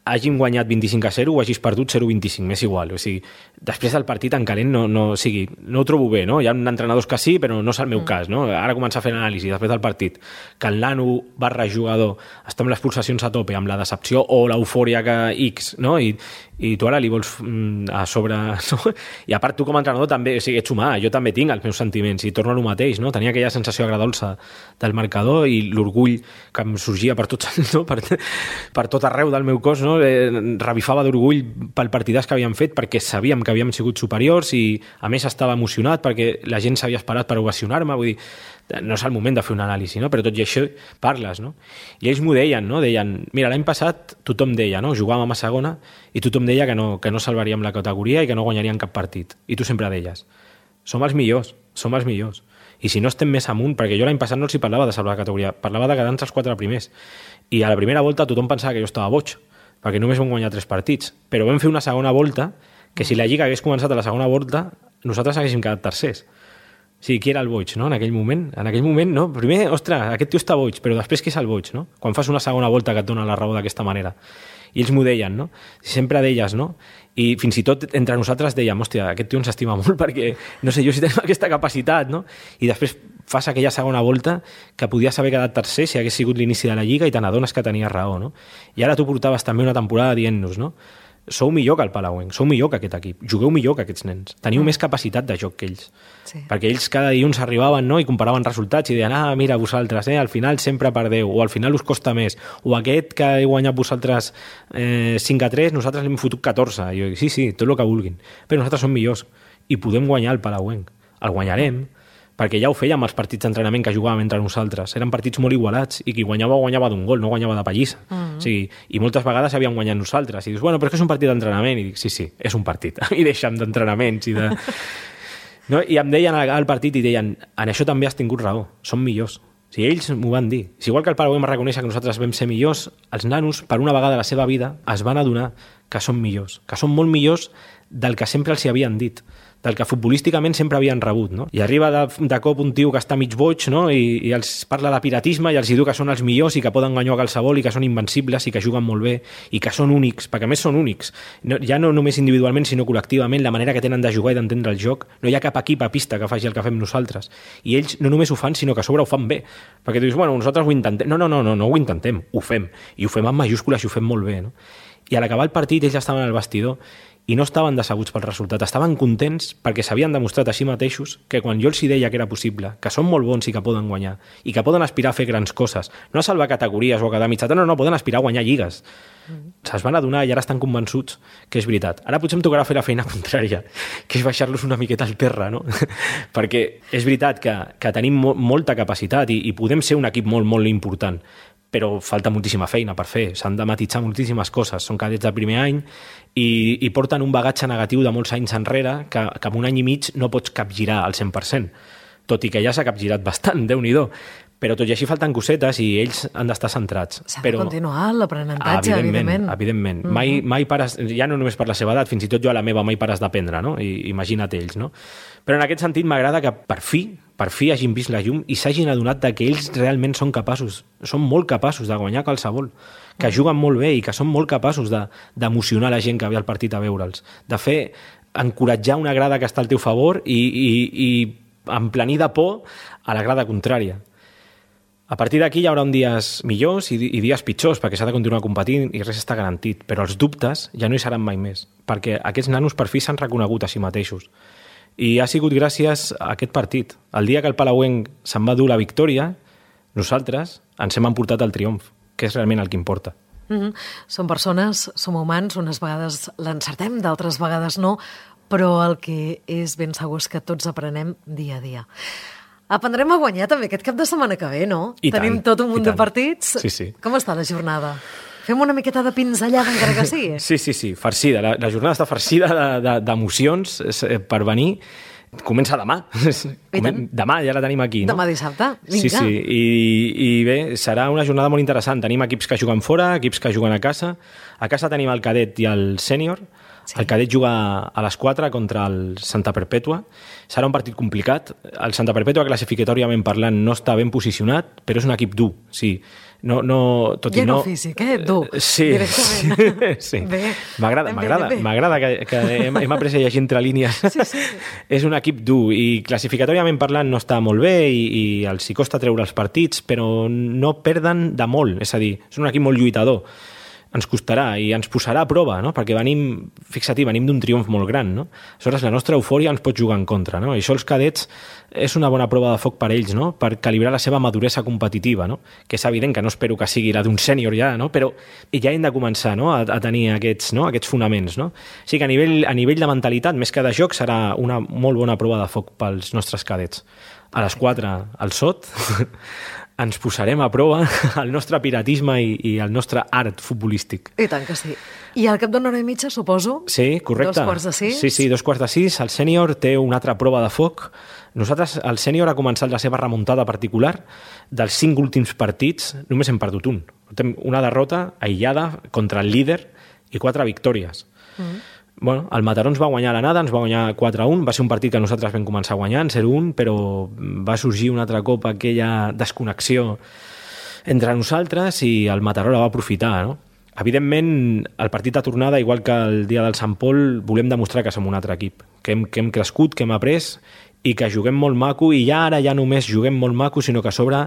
hàgim guanyat vint-i-cinc a zero o hagis perdut zero a vint-i-cinc, m'és igual. O sigui, després del partit en calent no, no, o sigui, no ho trobo bé, no? Hi ha entrenadors que sí, però no és el meu mm. cas, no? Ara comença a fer l'anàlisi després del partit, que el nano barra jugador està amb les pulsacions a tope, amb la decepció o l'eufòria que X, no? I, i tu ara li vols mm, a sobre... No? I a part tu com a entrenador també, o sigui, ets humà, jo també tinc els meus sentiments i torno a lo mateix, no? Tenia aquella sensació agradolça del marcador i l'orgull que em sorgia per tot, no? per, per tot arreu del meu cos, no? Eh, revifava d'orgull pel partidàs que havíem fet perquè sabíem que havíem sigut superiors i a més estava emocionat perquè la gent s'havia esperat per ovacionar-me, vull dir, no és el moment de fer un anàlisi, no? Però tot i això parles, no? I ells m'ho deien, no? Deien, mira, l'any passat tothom deia, no? Jugàvem a segona i tothom deia que no, que no salvaríem la categoria i que no guanyaríem cap partit. I tu sempre deies, som els millors, som els millors. I si no estem més amunt, perquè jo l'any passat no els hi parlava de salvar la categoria, parlava de quedar entre els quatre primers. I a la primera volta tothom pensava que jo estava boig, perquè només vam guanyar tres partits. Però vam fer una segona volta que si la Lliga hagués començat a la segona volta, nosaltres haguéssim quedat tercers. O sigui, qui era el boig, no? En aquell moment. En aquell moment, no? Primer, ostres, aquest tio està boig, però després qui és el boig, no? Quan fas una segona volta que et dona la raó d'aquesta manera. I ells m'ho deien, no? Sempre deies, no? I fins i tot entre nosaltres dèiem, hòstia, aquest tio ens estima molt perquè, no sé jo si tenim aquesta capacitat, no? I després fas aquella segona volta que podies haver quedat tercer si hagués sigut l'inici de la Lliga i te n'adones que tenies raó, no? I ara tu portaves també una temporada dient-nos, no? Sou millor que el Palauenc, sou millor que aquest equip, jugueu millor que aquests nens, teniu mm. més capacitat de joc que ells. Sí. Perquè ells cada dilluns arribaven, no?, i comparaven resultats i deien, ah, mira, vosaltres, eh, al final sempre perdeu, o al final us costa més, o aquest que heu guanyat vosaltres eh, cinc a tres, nosaltres l'hem fotut catorze. I jo dic, sí, sí, tot el que vulguin, però nosaltres som millors i podem guanyar el Palauenc. El guanyarem, perquè ja ho fèiem els partits d'entrenament que jugàvem entre nosaltres. Eren partits molt igualats i qui guanyava, guanyava d'un gol, no guanyava de pallissa. Mm-hmm. O sigui, i moltes vegades havíem guanyat nosaltres. I dius, bueno, però és que és un partit d'entrenament. I dic, sí, sí, és un partit. I deixa'm d'entrenaments i de... No? I em deien al partit i deien, en això també has tingut raó, som millors. O sigui, ells m'ho van dir. Si igual que el Palauenc reconèixer que nosaltres vam ser millors, els nanos, per una vegada a la seva vida, es van adonar que són millors, que són molt millors del que sempre els hi havien dit, del que futbolísticament sempre havien rebut, no? I arriba de, de cop un tio que està mig boig, no? I, i els parla de piratisme i els diu que són els millors i que poden guanyar a qualsevol i que són invencibles i que juguen molt bé i que són únics, perquè a més són únics. No, ja no només individualment, sinó col·lectivament, la manera que tenen de jugar i d'entendre el joc. No hi ha cap equip a pista que faci el que fem nosaltres. I ells no només ho fan, sinó que a sobre ho fan bé. Perquè tu dius, bueno, nosaltres ho intentem. No, no, no, no, no ho intentem, ho fem. I ho fem amb majúscules i ho fem molt bé, no? I a l'acabar el partit ells estaven al vestidor i no estaven decebuts pel resultat, estaven contents perquè s'havien demostrat a si mateixos que quan jo els hi deia que era possible, que són molt bons i que poden guanyar, i que poden aspirar a fer grans coses, no a salvar categories o a quedar mitjata, no, no, poden aspirar a guanyar lligues. Mm. Se'ls van adonar i ara estan convençuts que és veritat. Ara potser em tocarà fer la feina contrària, que és baixar-los una miqueta al terra, no? Perquè és veritat que, que tenim mo molta capacitat i, i podem ser un equip molt, molt important, però falta moltíssima feina per fer, s'han de matitzar moltíssimes coses, són cadets de primer any i, i porten un bagatge negatiu de molts anys enrere que, que en un any i mig no pots capgirar al cent per cent, tot i que ja s'ha capgirat bastant, Déu-n'hi-do, però tot i així falten cosetes i ells han d'estar centrats. S'ha però... de continuar l'aprenentatge, evidentment. Evidentment, mm -hmm. mai, mai pares, ja no només per la seva edat, fins i tot jo a la meva mai pares d'aprendre, no? I, imagina't ells, no? Però en aquest sentit m'agrada que per fi, per fi hagin vist la llum i s'hagin adonat que ells realment són capaços, són molt capaços de guanyar qualsevol, que juguen molt bé i que són molt capaços d'emocionar de, la gent que ve al partit a veure'ls, de fer, encoratjar una grada que està al teu favor i, i, i emplenir de por a la grada contrària. A partir d'aquí hi haurà uns dies millors i, i dies pitjors, perquè s'ha de continuar competint i res està garantit, però els dubtes ja no hi seran mai més, perquè aquests nanos per fi s'han reconegut a si mateixos. I ha sigut gràcies a aquest partit. El dia que el Palauenc se'n va dur la victòria, nosaltres ens hem emportat el triomf, que és realment el que importa. Mm-hmm. Som persones, som humans, unes vegades l'encertem, d'altres vegades no, però el que és ben segur és que tots aprenem dia a dia. Aprendrem a guanyar també aquest cap de setmana que ve, no? I Tenim tant, tot un munt de partits. Sí, sí. Com està la jornada? Fem una miqueta de pinzellada encara que sí? Sí, sí, sí, farcida. La, la jornada està farcida d'emocions de, de, per venir. Comença demà. Demà ja la tenim aquí, no? Demà dissabte, vinga. Sí, sí, I, i bé, serà una jornada molt interessant. Tenim equips que juguen fora, equips que juguen a casa. A casa tenim el cadet i el sènior. Sí. El cadet juga a les quatre contra el Santa Perpètua. Serà un partit complicat. El Santa Perpètua, classificatòriament parlant, no està ben posicionat, però és un equip dur, sí. No, no, tot ja i no... no físic, eh? Dur, sí, directament. Sí. Bé. M'agrada, m'agrada, m'agrada que, que hem, hem après a llegir entre línies. Sí, sí. És un equip dur i classificatòriament parlant no està molt bé i, i els hi costa treure els partits, però no perden de molt, és a dir, és un equip molt lluitador. Ens costarà i ens posarà a prova, no? Perquè venim, fixa-t'hi, venim d'un triomf molt gran, no? Aleshores, la nostra eufòria ens pot jugar en contra, no? I això els cadets és una bona prova de foc per ells, no? Per calibrar la seva maduresa competitiva, no? Que és evident que no espero que sigui la d'un sènior ja, no? Però ja hem de començar, no? a, a tenir aquests, no? aquests fonaments, no? O sigui que a nivell, a nivell de mentalitat, més que de joc, serà una molt bona prova de foc pels nostres cadets. A les quatre, al sot, ens posarem a prova el nostre piratisme i, i el nostre art futbolístic. I tant que sí. I al cap d'una hora i mitja, suposo? Sí, correcte. Dos quarts de sis? Sí, sí, dos quarts de sis. El sènior té una altra prova de foc. Nosaltres, el sènior ha començat la seva remuntada particular. Dels cinc últims partits, només hem perdut un. Tem una derrota aïllada contra el líder i quatre victòries. Mm. Bueno, el Mataró ens va guanyar a l'anada, ens va guanyar quatre a un, va ser un partit que nosaltres vam començar guanyant, zero a un, però va sorgir un altre cop aquella desconnexió entre nosaltres i el Mataró la va aprofitar, no? Evidentment, el partit de tornada, igual que el dia del Sant Pol, volem demostrar que som un altre equip, que hem, que hem crescut, que hem après i que juguem molt maco, i ja ara ja només juguem molt maco, sinó que a sobre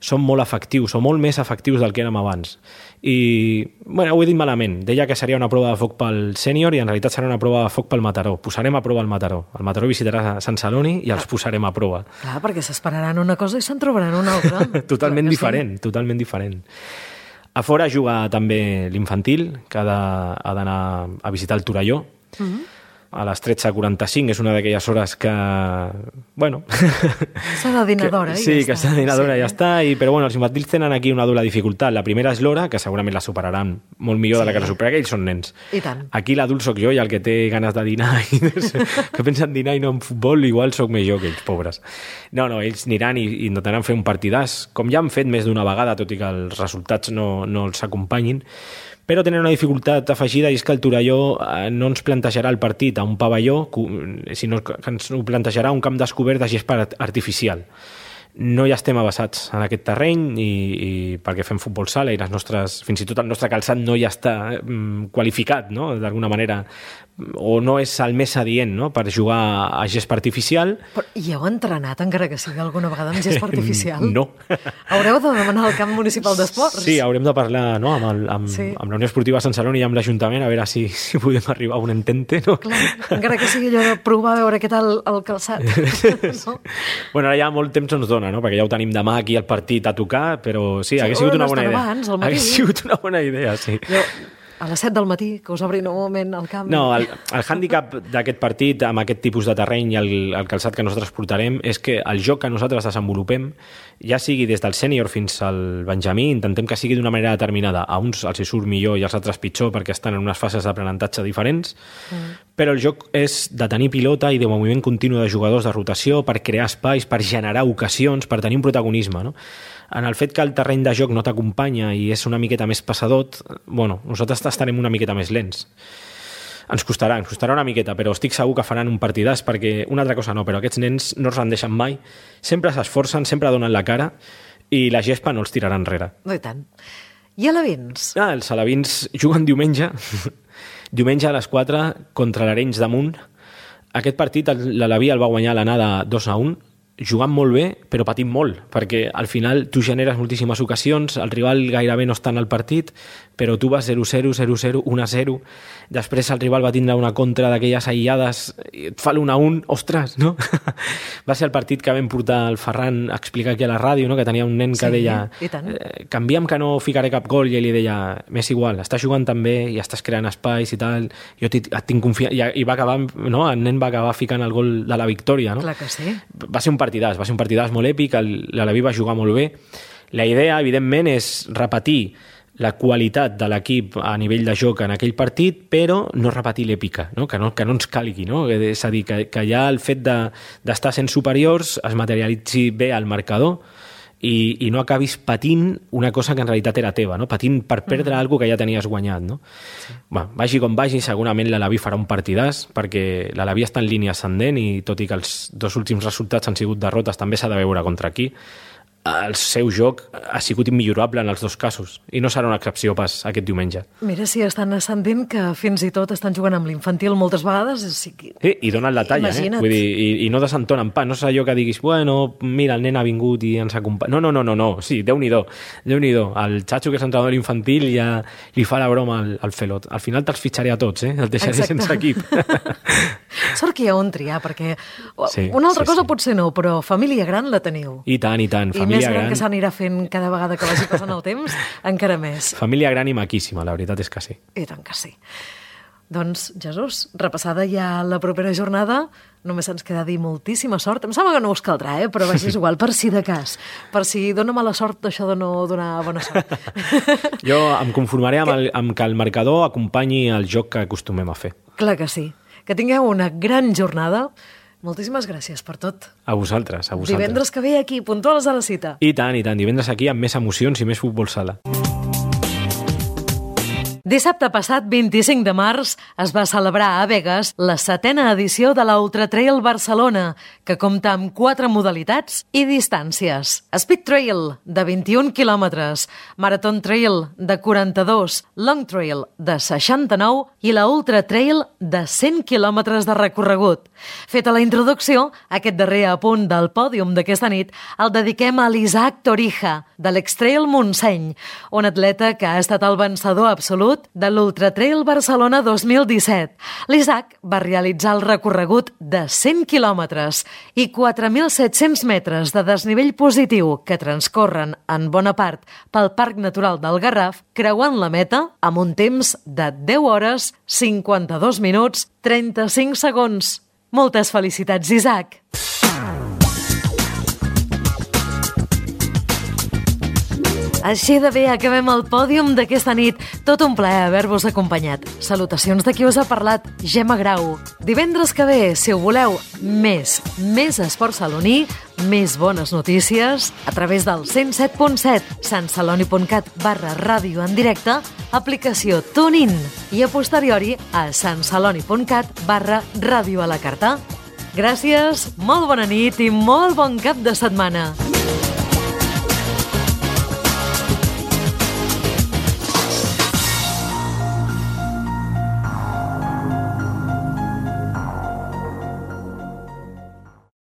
som molt efectius, o molt més efectius del que érem abans. I, bueno, ho he dit malament, deia que seria una prova de foc pel sènior i en realitat serà una prova de foc pel Mataró. Posarem a prova el Mataró. El Mataró visitarà Sant Celoni i els posarem a prova. Clar, perquè s'esperaran una cosa i se'n trobaran una altra. Totalment diferent, sí. totalment diferent. A fora juga també l'infantil, que ha d'anar a visitar el Torelló. Mm-hmm. A les tretze quaranta-cinc, és una d'aquelles hores que, bueno... S'ha de dinar d'hora, sí, i ja que s'ha de dinar d'hora, sí. ja està, i, però bueno, els infantils tenen aquí una doble dificultat. La primera és l'hora, que segurament la superaran molt millor sí. de la que la supera, que ells són nens. I tant. Aquí l'adult sóc jo, i el que té ganes de dinar, i que pensa en dinar i no en futbol, igual sóc més jo que ells, pobres. No, no, ells aniran i, i intentaran fer un partidàs, com ja han fet més d'una vegada, tot i que els resultats no, no els acompanyin, però tenen una dificultat afegida, i és que el Torelló no ens plantejarà el partit a un pavelló, sinó que ens ho plantejarà a un camp descobert de gespa artificial. No hi estem avançats en aquest terreny i, i perquè fem futbol sala i les nostres, fins i tot el nostre calçat no hi està mm, qualificat, no? D'alguna manera, o no és el més adient, no? Per jugar a gespa artificial. Però hi heu entrenat, encara que sigui alguna vegada, amb gespa artificial? No. Haureu de demanar al camp municipal d'esports? Sí, haurem de parlar, no? amb, el, amb, sí. amb la Unió Esportiva Sant Celoni i amb l'Ajuntament, a veure si, si podem arribar a un entente, no? Clar, encara que sigui allò de provar a veure què tal el calçat. No? Bueno, ara ja molt temps ens dona, no? Perquè ja ho tenim demà aquí al partit a tocar, però sí, sí hagués sigut una bona idea. Abans, hagués sigut una bona idea, sí. Jo, a les set del matí, que us obrin un moment al camp. No, el, el hàndicap d'aquest partit, amb aquest tipus de terreny i el, el calçat que nosaltres portarem, és que el joc que nosaltres desenvolupem, ja sigui des del sènior fins al benjamí, intentem que sigui d'una manera determinada. A uns els hi surt millor i als altres pitjor perquè estan en unes fases d'aprenentatge diferents, mm. però el joc és de tenir pilota i de moviment continu de jugadors de rotació per crear espais, per generar ocasions, per tenir un protagonisme, no? En el fet que el terreny de joc no t'acompanya i és una miqueta més passadot, bueno, nosaltres estarem una miqueta més lents. Ens costarà, ens costarà una miqueta, però estic segur que faran un partidàs, perquè una altra cosa no, però aquests nens no es rendeixen mai, sempre s'esforcen, sempre donen la cara i la gespa no els tirarà enrere. No, i tant. I alevins? Ah, els alevins juguen diumenge, diumenge a les quatre contra l'Arenys de Munt. Aquest partit l'Aleví el va guanyar a l'anada dos a un, jugant molt bé, però patint molt, perquè al final tu generes moltíssimes ocasions, el rival gairebé no està en el partit, però tu vas zero zero, zero zero, un a zero, després el rival va tindre una contra d'aquelles aïllades, et fa l'un a un, ostres, no? Va ser el partit que vam portar el Ferran a explicar aquí a la ràdio, no? Que tenia un nen que sí, deia, eh, canviem que no ficaré cap gol, i ell li deia, m'és igual, estàs jugant tan bé i estàs creant espais i tal, jo et tinc confiança, i, i va acabar, no? El nen va acabar ficant el gol de la victòria, no? Clar que sí. Va ser un partidàs, va ser un partidàs molt èpic, l'Aleví va jugar molt bé. La idea, evidentment, és repetir la qualitat de l'equip a nivell de joc en aquell partit, però no repetir l'èpica, no? Que, no, que no ens calgui, no? És a dir, que, que ja el fet d'estar de, sent superiors es materialitzi bé al marcador i, i no acabis patint una cosa que en realitat era teva, no? Patint per perdre mm. alguna que ja tenies guanyat, no? Sí. Va, vagi com vagi, segurament l'Alaví farà un partidàs, perquè l'Alaví està en línia ascendent i tot i que els dos últims resultats han sigut derrotes, també s'ha de veure contra qui. El seu joc ha sigut immillorable en els dos casos i no serà una excepció pas aquest diumenge. Mira si estan ascendint que fins i tot estan jugant amb l'infantil moltes vegades. Sí, sí, i donen la talla, eh? Vull dir, i, i no desentonen pas. No és allò que diguis, bueno, mira, el nen ha vingut i ens acompanya. No, no, no, no, no. Sí, Déu-n'hi-do, Déu-n'hi-do. El xatxo que és entrenador infantil ja li fa la broma al, al Felot. Al final te'ls fitxaré a tots, eh? El deixaré Exacte. Sense equip. Sort que hi ha on triar, perquè sí, una altra sí, cosa sí. potser no, però família gran la teniu. I tant, i tant. I família més gran, gran que s'anirà fent cada vegada que vagi passant el temps, encara més. Família gran i maquíssima, la veritat és que sí. I tant que sí. Doncs, Jesús, repassada ja la propera jornada, només ens queda dir moltíssima sort. Em sembla que no us caldrà, eh? Però vaja, és igual, per si de cas. Per si dona mala sort, això de no donar bona sort. Jo em conformaré amb, el, amb que el marcador acompanyi el joc que acostumem a fer. Clar que sí. Que tingueu una gran jornada. Moltíssimes gràcies per tot. A vosaltres, a vosaltres. Divendres que ve aquí, puntuals a la cita. I tant, i tant. Divendres aquí amb més emocions i més futbol sala. Dissabte passat, vint-i-cinc de març, es va celebrar a Begues la setena edició de la Ultra Trail Barcelona, que compta amb quatre modalitats i distàncies. Speed Trail, de vint-i-un quilòmetres, Marathon Trail, de quaranta-dos, Long Trail, de seixanta-nou i la Ultra Trail, de cent quilòmetres de recorregut. Feta la introducció, aquest darrer apunt del pòdium d'aquesta nit el dediquem a l'Isaac Torija, de l'Extrail Montseny, un atleta que ha estat el vencedor absolut de l'Ultra Trail Barcelona dos mil disset. L'Isaac va realitzar el recorregut de cent quilòmetres i quatre mil set-cents metres de desnivell positiu que transcorren en bona part pel Parc Natural del Garraf, creuant la meta amb un temps de deu hores, cinquanta-dos minuts, trenta-cinc segons. Moltes felicitats, Isaac! Així de bé acabem el pòdium d'aquesta nit. Tot un plaer haver-vos acompanyat. Salutacions de qui us ha parlat, Gemma Grau. Divendres que ve, si ho voleu, més, més esport saloní, més bones notícies, a través del cent set punt set, santceloni.cat barra ràdio en directe, aplicació TuneIn i a posteriori a santceloni.cat barra ràdio a la carta. Gràcies, molt bona nit i molt bon cap de setmana.